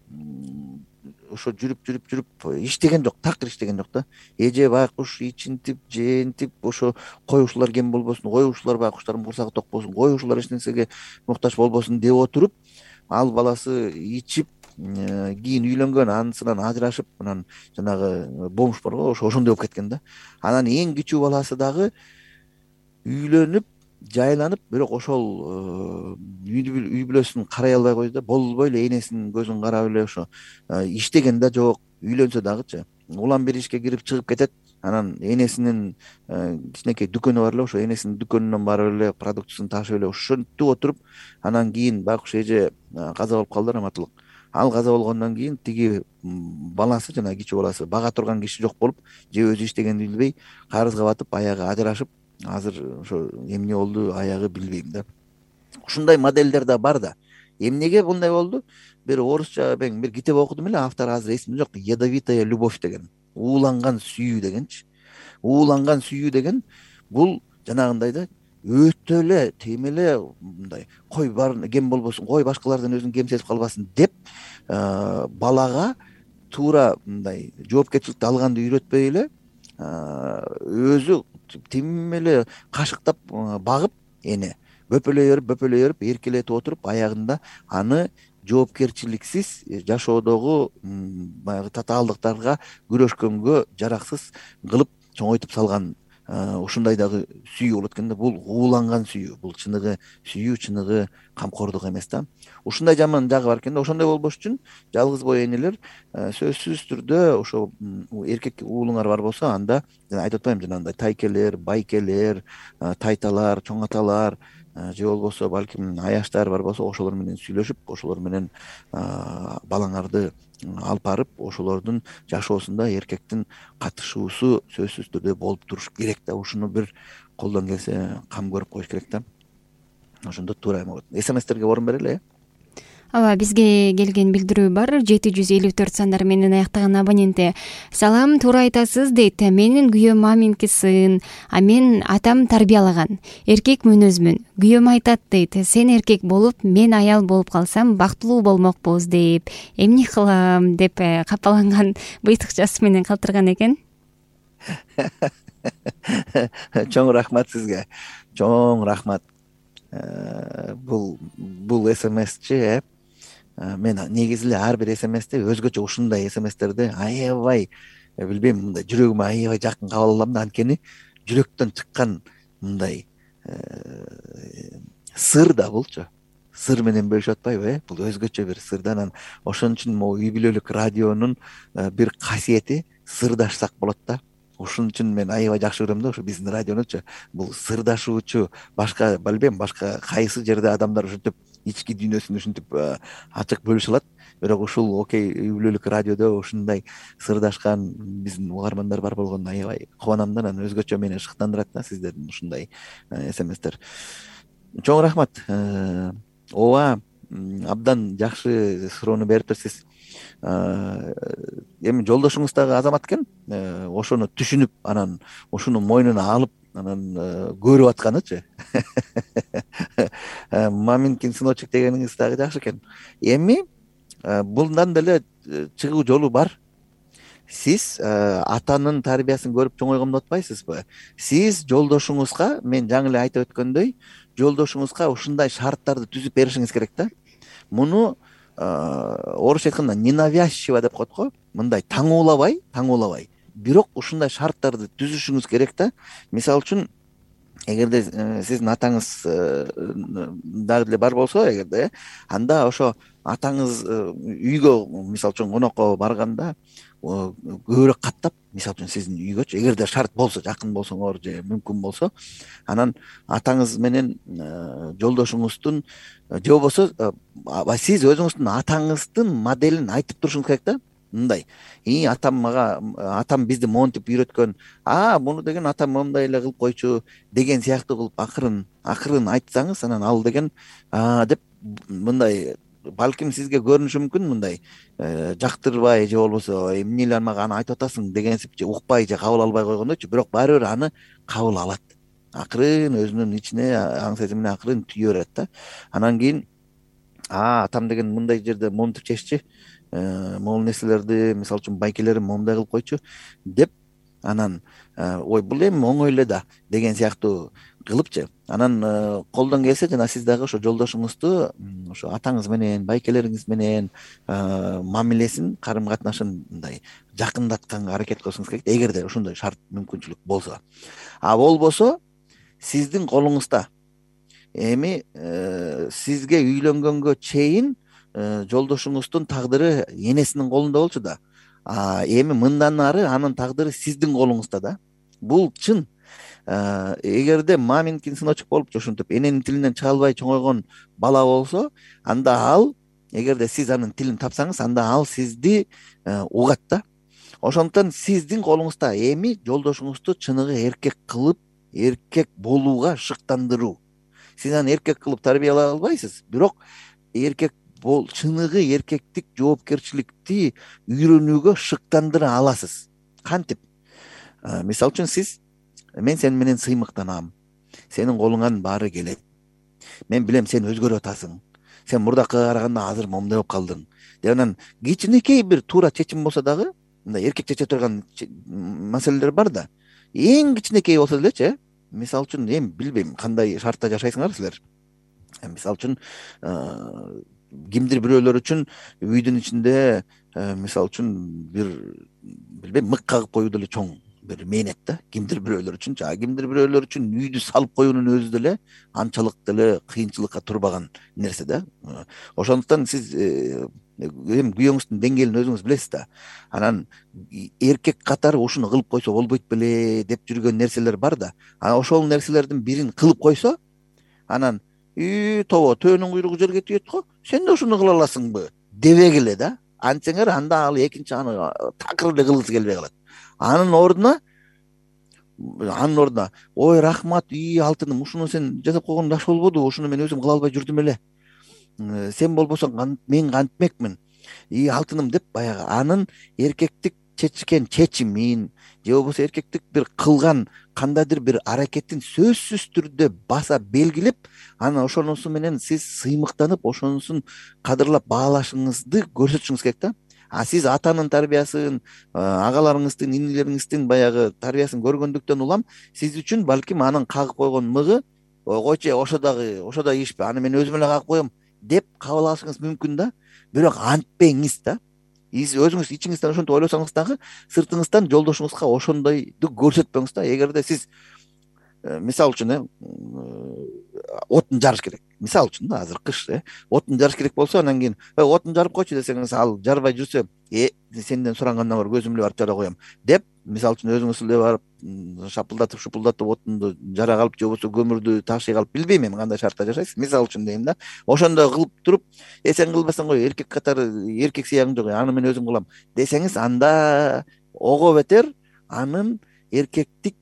ошо жүрүп жүрүп жүрүп иштеген жок, такыр иштеген жок да. Эже байкуш ичинтип, жеинтип, ошо коюшулар кем болбосун, коюшулар байкуштардын курсагы ток болсун, коюшулар эч нерсеге муктаж болбосун деп отуруп, ал баласы ичип, кийин үйлөнгөн, анысынан ажырашып, анан жанагы бомж бар го, ошо ошондой болуп кеткен да. Анан эң кичүү баласы дагы үйлөнүп, жайланып, бирок ошол үй бүлөсүн карай албай койду да, болбой эле энесинин көзүн карап эле ошо иштеген да жок, үйлөнсө дагычы. улам бир ишке кирип чыгып кетет, анан энесинин кичинекей дүкөнү бар эле, ошо энесинин дүкөнүнөн барып эле продуктысын ташып эле ушинтип отуруп, анан кийин байкуш эже каза болуп калды, раматылык. Ал каза болгондон кийин тиги баласы, жана кичүү баласы бага турган киши жок болуп, же өзү иштегенди билбей карызга батып, аягы ажырашып, азыр ошо эмне болду, аягы билбейм да. Ушундай моделдер да бар да. Эмнеге мындай болду? Бир орусча мен бир китеп окудум эле, автор азыр эсимде жок. Ядовитая любовь деген. Ууланган сүйүү дегенчи. Ууланган сүйүү деген бул жанагындай да, өтө эле тем эле мындай кой бар кем болбосун, кой башкалардан өзүн кем сезип калбасын деп балага туура мындай жоопкерчиликти алганды үйрөтпөй эле өзү тим эле кашыктап багып, эне бөпөлөй берип бөпөлөй берип эркелетип отуруп, аягында аны жоопкерчиликсиз жашоодогу баягы татаалдыктарга күрөшкөнгө жараксыз кылып чоңойтуп салган ушундай дагы сүйүү болот экен да. Бул ууланган сүйүү, бул чыныгы сүйүү, чыныгы камкордук эмес да. Ушундай жаман жагы бар экен да. Ошондой болбош үчүн жалгыз бой энелер сөзсүз түрдө ошо эркек уулуңар бар болсо, анда айтып атпаймынбы жанагындай тайкелер, байкелер, тайталар, чоң аталар же болбосо балким аяштар бар болсо, ошолор менен сүйлөшүп, ошолор менен балаңарды алып барып, ошолордун жашоосунда эркектин катышуусу сөзсүз түрдө болуп туруш керек да. Ушуну бир колдон келсе кам көрүп коюш керек да. Ошондо туура эме болот. СМСтерге орун берели. Ооба, бизге келген билдирүү бар. жети жүз элүү төрт сандар менен аяктаган абоненти. Салам, туура айтасыз дейт. Менин күйөөм маминки сын, а мен атам тарбиялаган. Эркек мүнөзмүн. Күйөөм айтат дейт. Сен эркек болуп, мен аял болуп калсам бактылуу болмокпуз дейп. Эмне кылам деп капаланган быйтыкчасы менен калтырган экен. Чоң рахмат сизге. Чоң рахмат. Бул бул СМСчи э мен негизи эле ар бир СМСте өзгөчө ушундай СМСтерди аябай билбейм, мындай жүрөгүмө аябай жакын кабыл алам да. Анткени жүрөктөн чыккан мындай сыр да булчу. Сыр менен бөлүшүп атпайбы э бул өзгөчө бир сыр да. Анан ошон үчүн могу үй бүлөлүк радионун бир касиети сырдашсак болот да. Ошон үчүн мен аябай жакшы көрөм да ошо биздин радионучу. Бул сырдашуучу, башка билбейм, башка кайсы жерде адамдар ушинтип ички дүйнөсүн ушинтип ачык бөлүшө алат. Бирок ушул окей үй бүлөлүк радиодо ушундай сырдашкан биздин угармандар бар болгонуна аябай кубанам да. Анан өзгөчө мени шыктандырат да сиздердин ушундай СМСтер. Чоң рахмат. Ооба, абдан жакшы суроону берипсиз. Эми жолдошуңуз дагы азамат экен, ошону түшүнүп, анан ошону мойнуна алып, анан көрүп атканычы. Маминкин сыночек дегениңиз дагы жакшы экен. Эми булдан деле чыгуу жолу бар. Сиз атанын тарбиясын көрүп чоңойгон деп атпайсызбы? Сиз жолдошуңузга, мен жаңы эле айтып өткөндөй, жолдошуңузга ушундай шарттарды түзүп беришиңиз керек да. Муну орусча айтканда ненавязчиво деп коет го. Мындай таңуулабай, таңуулабай. Бирок ушундай шарттарды түзүшүңүз керек да. Мисалы үчүн, эгерде сиздин атаңыз дагы деле бар болсо, эгерде, анда ошо атаңыз үйгө мисалы үчүн конокко барганда көбүрөөк каттап, мисалы үчүн сиздин үйгөчү, эгерде шарт болсо, жакын болсоңор же мүмкүн болсо, анан атаңыз менен жолдошуңуздун же болбосо сиз өзүңүздүн атаңыздын моделин айтып турушуңуз керек да. Мындай, и атам мага, атам бизди монтип үйрөткөн, а муну деген атам мондай эле кылып койчу деген сыяктуу кылып акырын акырын айтсаңыз, анан ал деген а деп мындай балким сизге көрүнүшү мүмкүн, мындай жактырбай же болбосо эмне эле мага аны айтып атасың дегенсип же укпай же кабыл албай койгондойчу, бирок баары бир аны кабыл алат. Акырын өзүнүн ичине аң сезимине акырын түйө берет да. Анан кийин а атам деген мындай жерде монтип чеччи, могул нерселерди, мисалы үчүн байкелерин момундай кылып койчу деп, анан ой бул эми оңой эле да деген сыяктуу кылыпчы. Анан колдон келсе жана сиз дагы ошо жолдошуңузду ошо атаңыз менен, байкелериңиз менен мамилесин, карым катнашын мындай жакындатканга аракет кылышыңыз керек, эгерде ошондой шарт мүмкүнчүлүк болсо. А болбосо сиздин колуңузда. Эми сизге үйлөнгөнгө чейин жолдошуңуздун тагдыры энесинин колунда болчу да. эми мындан ары анын тагдыры сиздин колуңузда да. Бул чын. Эгерде маминкин сыночок болуп ошентип эненин тилинен чыга албай чоңойгон бала болсо, анда ал, эгерде сиз анын тилин тапсаңыз, анда ал сизди угат да. Ошондуктан сиздин колуңузда эми жолдошуңузду чыныгы эркек кылып, эркек болууга шыктандыруу. Сиз аны эркек кылып тарбиялай албайсыз, бирок эркек бол чыныгы эркектик жоопкерчиликти үйрөнүүгө шыктандыра аласыз. Кантип? Мисалы үчүн сиз, мен сен менен сыймыктанам, сенин колуңан баары келет, мен билем сен өзгөрүп атасың, сен мурдакыга караганда азыр момундай болуп калдың деп анан кичинекей бир туура чечим болсо дагы, мындай эркек чече турган маселелер бар да, эң кичинекей болсо делечи, мисалы үчүн эми билбейм кандай шартта жашайсыңар силер. Мисалы үчүн кимдир бирөөлөр үчүн үйдүн ичинде мисалы үчүн бир билбейм мык кагып коюу деле чоң бир мээнет да. Кимдир бирөөлөр үчүн, жана кимдир бирөөлөр үчүн үйдү салып коюунун өзү деле анчалык деле кыйынчылыкка турбаган нерсе да. Ошондуктан сиз эми күйөөңүздүн деңгээлин өзүңүз билесиз да. Анан эркек катары ушуну кылып койсо болбойт беле деп жүргөн нерселер бар да. Анан ошол нерселердин бирин кылып койсо, анан үй тобо төөнүн куйругу жерге тиет го, сен да ушуну кыла аласыңбы дебегиле да. Антсеңер анда ал экинчи аны такыр эле кылгысы келбей калат. Анын ордуна анын ордуна ой рахмат, үй алтыным, ушуну сен жасап койгоң жакшы болбоду, ушуну мен өзүм кыла албай жүрдүм эле. Сен болбосоң мен кантмекмин, үй алтыным деп баягы анын эркектик чечкен чечимин же болбосо эркектик бир кылган кандайдыр бир аракетин сөзсүз түрдө баса белгилеп, анан ошонусу менен сиз сыймыктанып, ошонусун кадырлап баалашыңызды көрсөтүшүңүз керек да. А сиз атанын тарбиясын, агаларыңыздын, инилериңиздин баягы тарбиясын көргөндүктөн улам, сиз үчүн балким анын кагып койгон мыгы, койчу ошо дагы, ошо да ишпи, аны мен өзүм эле кагып коем деп кабыл алышыңыз мүмкүн да. Бирок антпеңиз да. Сиз өзүңүз ичиңизден ошентип ойлосоңуз дагы, сыртыңыздан жолдошуңузга ошондойду көрсөтпөңүз да. Эгерде сиз мисалы үчүн отун жарыш керек. Мисалы үчүн да, азыр кыш, отун жарыш керек болсо, анан кийин отун жарып койчу десеңиз, ал жарбай жүрсө, э сенден сурангандан көрө өзүм эле барып жара коем деп, мисалы үчүн өзүңүз эле барып шапылдатып, шупулдатып отунду жара калып, же болбосо көмүрдү ташый калып, билбейм эми кандай шартта жашайсыз, мисалы үчүн дейм да. Ошондой кылып туруп, э сен кылбасаң кой, эркек катары эркек сыягың жок, аны мен өзүм кылам десеңиз, анда ого бетер анын эркектик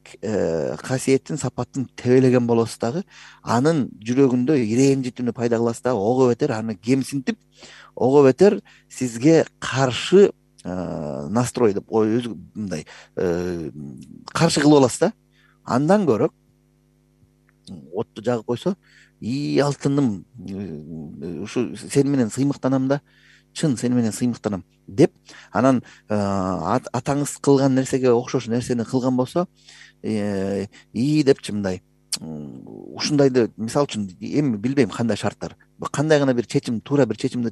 касиетин, сапатын тебелеген болосуз дагы, анын жүрөгүндө иренжитүүнү пайда кыласыз дагы, ого бетер аны кемсинтип, ого бетер сизге каршы настрой деп өзү мындай каршы кылып аласыз да. Андан көрө отту жагып койсо, ий алтыным, ушу сени менен сыймыктанам да, чын сени менен сыймыктанам деп, анан атаңыз кылган нерсеге окшош нерсени кылган болсо, ии депчи мындай ушундайды, мисалы үчүн эми билбейм кандай шарттар, кандай гана бир чечим, туура бир чечимди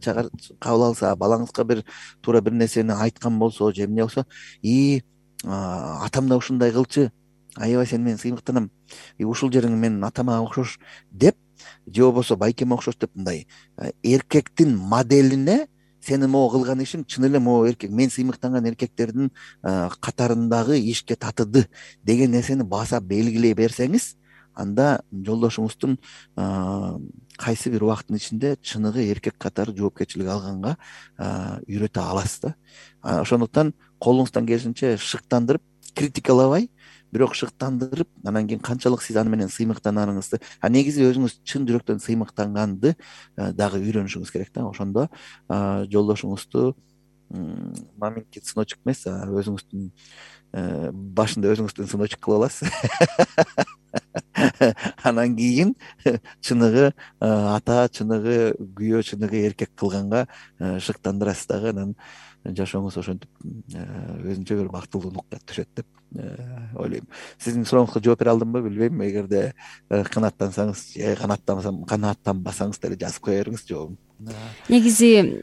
кабыл алса, балаңызга бир туура бир нерсени айткан болсо, же эмне болсо, ии атам да ушундай кылчу, аябай сени менен сыймыктанам, ушул жериң менин атама окшош деп, же болбосо байкеме окшош деп, мындай эркектин моделине сени могу кылган ишиң чын эле могу эркек, мен сыймыктанган эркектердин катарындагы ишке татыды деген нерсени баса белгилей берсеңиз, анда жолдошуңуздун кайсы бир убакыттын ичинде чыныгы эркек катары жоопкерчилик алганга үйрөтө аласыз да. Ошондуктан колуңуздан келишинче шыктандырып, критикалабай, бирок шыктандырып, анан кийин канчалык сиз аны менен сыймыктанарыңызды, а негизи өзүңүз чын жүрөктөн сыймыктанганды дагы үйрөнүшүңүз керек да. Ошондо жолдошуңузду маминкин сыночок эмес, өзүңүздүн башында өзүңүздүн сыночок кылып аласыз. Анан кийин чыныгы ата, чыныгы күйөө, чыныгы эркек кылганга шыктандырасыз дагы, анан жашооңуз ошентип өзүнчө бир бактылуу нукка түшөт деп ойлойм. Сиздин сурооңузга жооп бере алдымбы билбейм. Эгерде канааттансаңыз же канааттанбасаңыз деле жазып кое бериңиз жообун. Негизи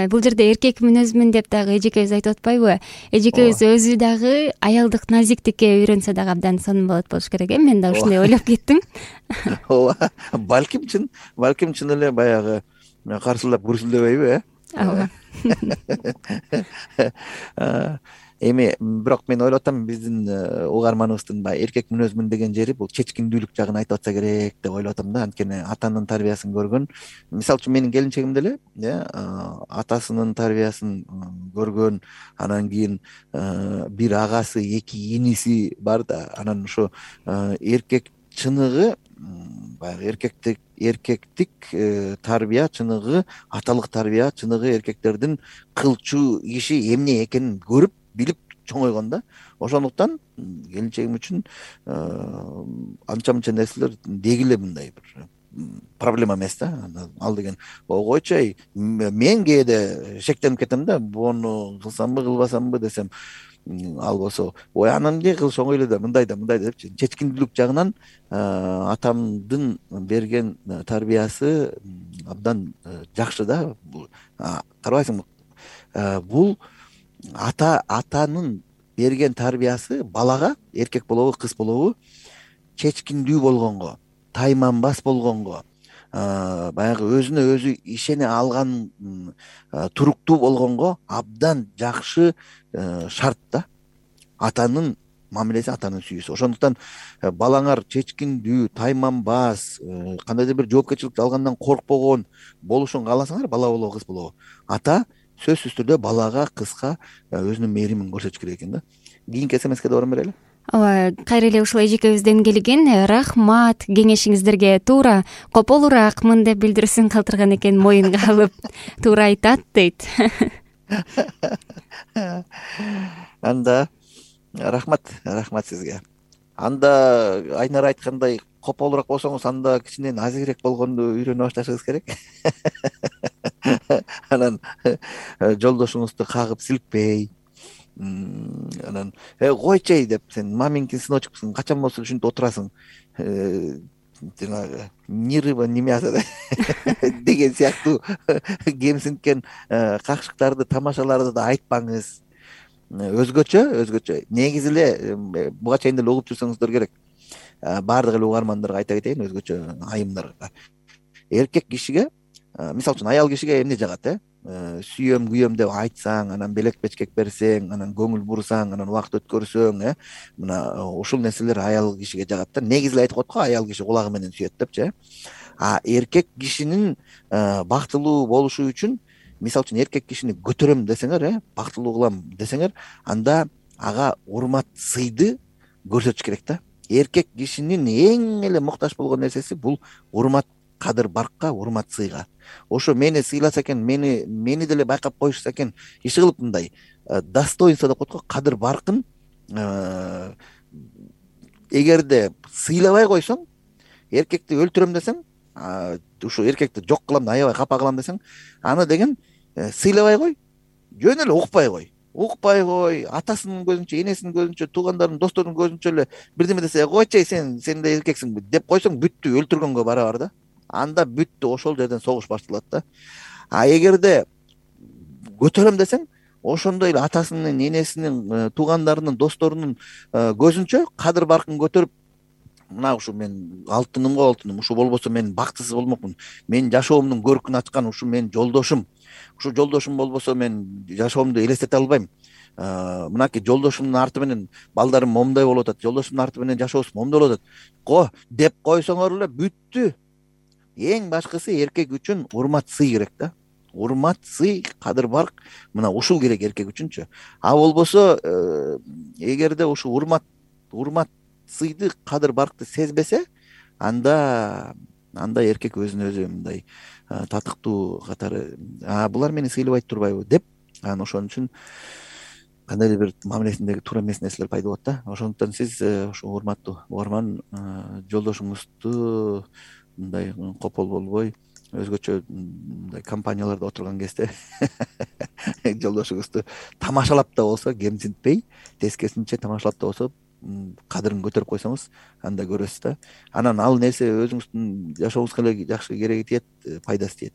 бул жерде эркек мүнөзмүн деп дагы эжекебиз айтып атпайбы? Эжекебиз өзү дагы аялдык назиктикке үйрөнсө дагы абдан сонун болот болуш керек э. Мен да ушундай ойлоп кеттим. Ооба, балким чын, балким чын эле баягы каршылап күрсүлдөбөйбү э? ооба. Эми бирок мен ойлоп атам биздин угарманыбыздын баягы эркек мүнөзмүн деген жери бул чечкиндүүлүк жагын айтып атса керек деп ойлоп атам да. Анткени атанын тарбиясын көргөн, мисалы үчүн менин келинчегим деле атасынын тарбиясын көргөн, анан кийин бир агасы, эки иниси бар да, анан ошо эркек чыныгы баягы эркектик эркектик тарбия чыныгы, аталык тарбия чыныгы эркектердин кылчу иши эмне экенин көрүп билип чоңойгон да. Ошондуктан келинчегим үчүн анча мынча нерселер деги эле мындай бир проблема эмес да. Ал деген койчу ай мен кээде шектенип кетем да, буну кылсамбы кылбасамбы десем, ал болсо ой анан эмне кылыш оңой эле да, мындай да мындай депчи. Чечкиндүүлүк жагынан атамдын берген тарбиясы абдан жакшы да. Карабайсыңбы, бул ата атанын берген тарбиясы балага, эркек болобу кыз болобу, чечкиндүү болгонго, тайманбас болгонго, баягы өзүнө өзү ишене алган, туруктуу болгонго абдан жакшы шарт да. Атанын мамилеси, атанын сүйүүсү. Ошондуктан балаңар чечкиндүү, тайманбас, кандайдыр бир жоопкерчиликти алгандан коркпогон болушун кааласаңар, бала болобу кыз болобу, ата сөзсүз түрдө балага, кызга өзүнүн мээримин көрсөтүш керек экен да. Кийинки смске добром берели. Ооба, кайра эле ушул эжекебизден келген. Рахмат, кеңешиңиздерге туура кополураакмын деп билдирүүсүн калтырган экен, моюнга алып туура айтат дейт. Анда рахмат, рахмат сизге. Анда Айнара айткандай кополураак болсоңуз, анда кичине назигирээк болгонду үйрөнө башташыңыз керек. Анан жолдошуңузду кагып силкпей, анан койчу деп, сен маминкин сыночкусуң, качан болсо ушинтип отурасың, жанагы нирыба немяса деген сыяктуу кемсинткен какшыктарды, тамашаларды да айтпаңыз. Өзгөчө, өзгөчө. Негизи эле буга чейин деле угуп жүрсөңүздөр керек. Баардык эле угармандарга айта кетейин, өзгөчө айымдарга. Эркек кишиге, мисалы үчүн аял кишиге эмне жагат, э? Сүйөм, күйөм деп айтсаң, анан белек бечкек берсең, анан көңүл бурсаң, анан убакыт өткөрсөң, э? Мына ушул нерселер аял кишиге жагат да. Негизи эле айтып коет го, аял киши кулагы менен сүйөт депчи, э? А эркек кишинин бактылуу болушу үчүн, мисалы үчүн эркек кишини көтөрөм десеңер, э, бактылуу кылам десеңер, анда ага урмат, сыйды көрсөтүш керек да. Эркек кишинин эң эле муктаж болгон нерсеси бул урмат, кадыр баркка, урмат, сыйга. Ошо мени сыйласа экен, мени мени деле байкап коюшса экен, иши кылып мындай достоинство деп коет го, кадыр баркын эгерде сыйлабай койсоң, эркекти өлтүрөм десең, ушу эркекти жок кылам, аябай капа кылам десең, аны деген сыйлабай кой, жөн эле укпай кой. Укпай кой, атасынын көзүнчө, энесинин көзүнчө, туугандарынын, досторунун көзүнчө эле бирдеме десе, койчу сен, сен да эркексиң деп койсоң, бүттү, өлтүргөнгө барабар да. Анда бүттү, ошол жерден согуш башталат да. А эгерде көтөрөм десең, ошондой эле атасынын, энесинин, туугандарынын, досторунун көзүнчө кадыр баркын көтөрүп, мына ушу мен алтыным го алтыным, ушу болбосо мен бактысыз болмокмун, менин жашоомдун көркүн ачкан ушу менин жолдошум, ушу жолдошум болбосо мен жашоомду элестете албайм. Мынакей жолдошумдун арты менен балдарым момундай болуп атат, жолдошумдун арты менен жашообуз момундай болуп атат го деп койсоңор эле бүттү. Эң башкысы эркек үчүн урмат, сый керек да. Урмат, сый, кадыр барк, мына ушул керек эркек үчүнчү. А болбосо эгерде ушу урмат, урмат, сыйды, кадыр баркты сезбесе, анда анда эркек өзүн өзү мындай татыктуу катары, а булар мени сыйлабайт турбайбы деп, анан ошон үчүн кандайдыр бир мамилесиндеги туура эмес нерселер пайда болот да. Ошондуктан сиз ушу урматтуу угарман жолдошуңузду мындай копол болбой, өзгөчө мындай компанияларда отурган кезде жолдошуңузду тамашалап да болсо кемсинтпей, тескерисинче тамашалап да болсо кадырын көтөрүп койсоңуз, анда көрөсүз да. Анан ал нерсе өзүңүздүн жашооңузга эле жакшы кереги тиет, пайдасы тиет.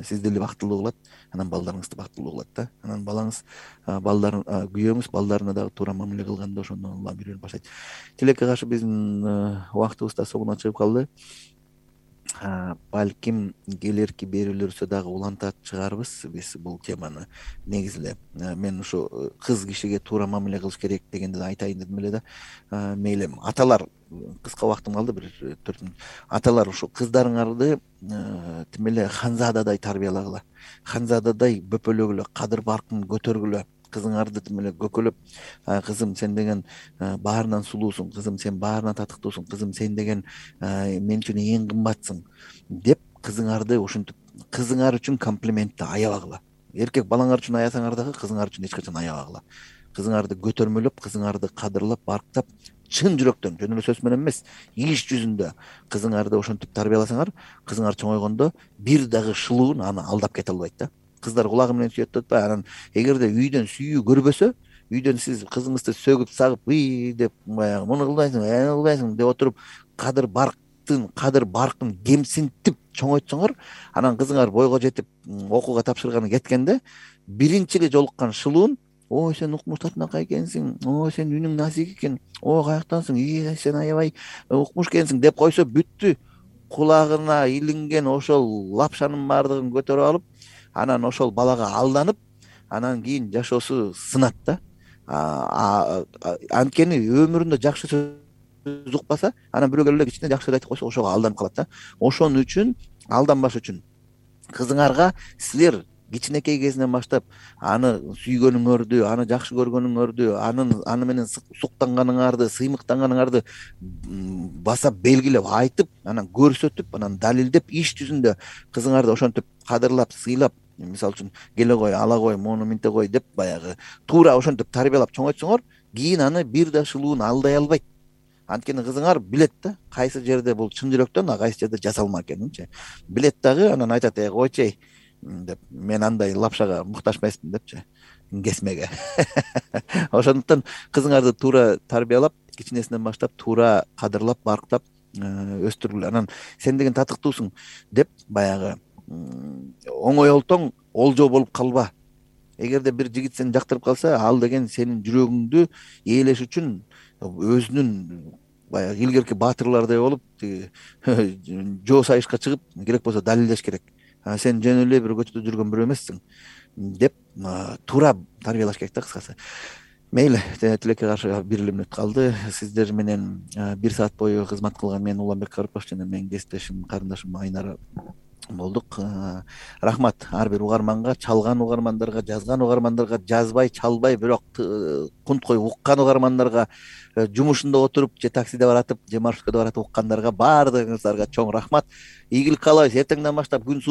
Сиз деле бактылуу кылат, анан балдарыңызды бактылуу кылат да. Анан балаңыз, балдарын, күйөөңүз балдарына дагы туура мамиле кылганда ошондон Алла үйрөнүп баштайт. Тилекке каршы биздин убактыбыз да соңуна чыгып калды. балким келерки берүүлөрсө дагы улантат чыгарбыз биз бул теманы. Негизи эле мен ушу кыз кишиге туура мамиле кылыш керек дегенди айтайын дедим эле да. Мейли аталар кыска убактым калды, бир төрт мүнөт. Аталар ушу кыздарыңарды тим эле ханзададай тарбиялагыла. Ханзададай бөпөлөгүлө, кадыр баркын көтөргүлө. Кызыңарды тим эле көкөлөп, кызым сен деген баарынан сулуусуң, кызым сен баарынан татыктуусуң, кызым сен деген мен үчүн эң кымбатсың деп кызыңарды ушинтип кызыңар үчүн комплиментти аябагыла. Эркек балаңар үчүн аязаңар дагы кызыңар үчүн эч качан аябагыла. Кызыңарды көтөрмөлөп, кызыңарды кадырлап, барктап, чын жүрөктөн, жөн эле сөз менен эмес, иш жүзүндө кызыңарды ошентип тарбияласаңар, кызыңар чоңойгондо бир дагы шылуун аны алдап кете албайт да. Кыздар кулагы менен сүйөт деп атпайбы? Анан эгерде үйдөн сүйүү көрбөсө, үйдөн сиз кызыңызды сөгүп сагып, "Ый" деп баягы муну кылбайсың, аны кылбайсың деп отуруп, кадыр барктын, кадыр баркын кемсинтип чоңойтсоңор, анан кызыңар бойго жетип, окууга тапшырганы кеткенде, биринчи эле жолуккан шылуун: "Ой, сен укмуш татынакай экенсиң. Ой, сен үнүң назик экен. Ой, каяктансың? Ий, сен аябай укмуш экенсиң" деп койсо, бүттү. Кулагына илинген ошол лапшанын баардыгын көтөрүп алып, анан ошол балага алданып, анан кийин жашоосу сынат да. Анткени өмүрүндө жакшы сөз укпаса, анан бирөө келип эле кичине жакшы сөз айтып койсо, ошого алданып калат да. Ошон үчүн алданбаш үчүн кызыңарга силер кичинекей кезинен баштап аны сүйгөнүңөрдү, аны жакшы көргөнүңөрдү, анын аны менен суктанганыңарды, сыймыктанганыңарды баса белгилеп айтып, анан көрсөтүп, анан далилдеп, иш жүзүндө кызыңарды ошентип кадырлап, сыйлап, мисалы үчүн келе кой, ала кой, мону минте кой деп баягы туура ошентип тарбиялап чоңойтсоңор, кийин аны бир да шылуун алдай албайт. Анткени кызыңар билет да, кайсы жерде бул чын жүрөктөн, а кайсы жерде жасалма экенинчи. Билет дагы, анан айтат: "Эй, койчу деп, мен андай лапшага муктаж эмесмин" депчи, кесмеге. Ошондуктан кызыңарды туура тарбиялап, кичинесинен баштап туура кадырлап, барктап өстүргүлө. Анан сен деген татыктуусуң деп баягы оңой олтоң олжо болуп калба. Эгерде бир жигит сени жактырып калса, ал деген сенин жүрөгүңдү ээлеш үчүн өзүнүн баягы илгерки баатырлардай болуп, жоо сайышка чыгып, керек болсо далилдеш керек. Сен жөн эле бир көчөдө жүргөн бирөө эмессиң деп туура тарбиялаш керек да, кыскасы. Мейли, тилекке каршы бир эле мүнөт калды. Сиздер менен бир саат бою кызмат кылган мен Уланбек Карипов жана менин кесиптешим, карындашым Айнара болдук. Рахмат ар бир угарманга, чалган угармандарга, жазган угармандарга, жазбай, чалбай, бирок кунткой уккан угармандарга, жумушунда отуруп, же таксиде баратып, же маршруткада баратып уккандарга, баардыгыңыздарга чоң рахмат. Ийгилик каалайбыз. Эртеңден баштап күн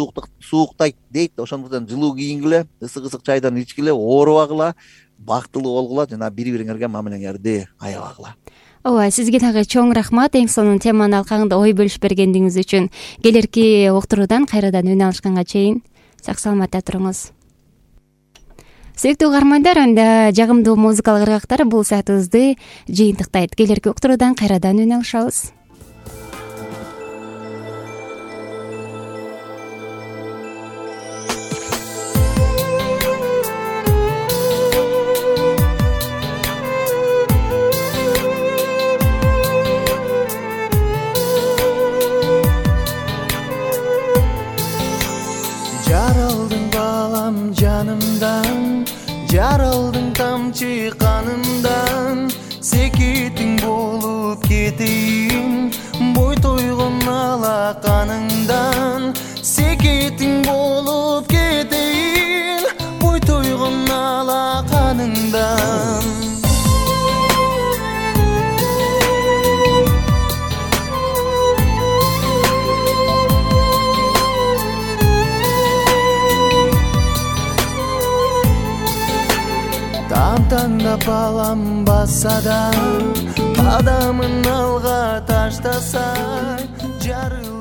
сууктайт дейт, ошондуктан жылуу кийингиле, ысык-ысык чайдан ичкиле, оорубагыла, бактылуу болгула жана бири-бириңерге мамилеңерди аябагыла. Ооба, сизге дагы чоң рахмат эң сонун теманын алкагында ой бөлүшүп бергениңиз үчүн. Келерки уктуруудан кайрадан үн алышканга чейин сак саламатта туруңуз. Сүйүктүү угармандар, анда жагымдуу музыкалык ыргактар бул саатыбызды жыйынтыктайт. Келерки уктуруудан кайрадан үн алышабыз. Жаралдың балам жанымдан, жаралдың тамчы канымдан, секетиң болуп кетейин, бой тойгон алаканыңдан, секетиң болуп кетейин, бой тойгон алаканыңдан. Таңда балам баса да, адамын алга таштаса, жарыл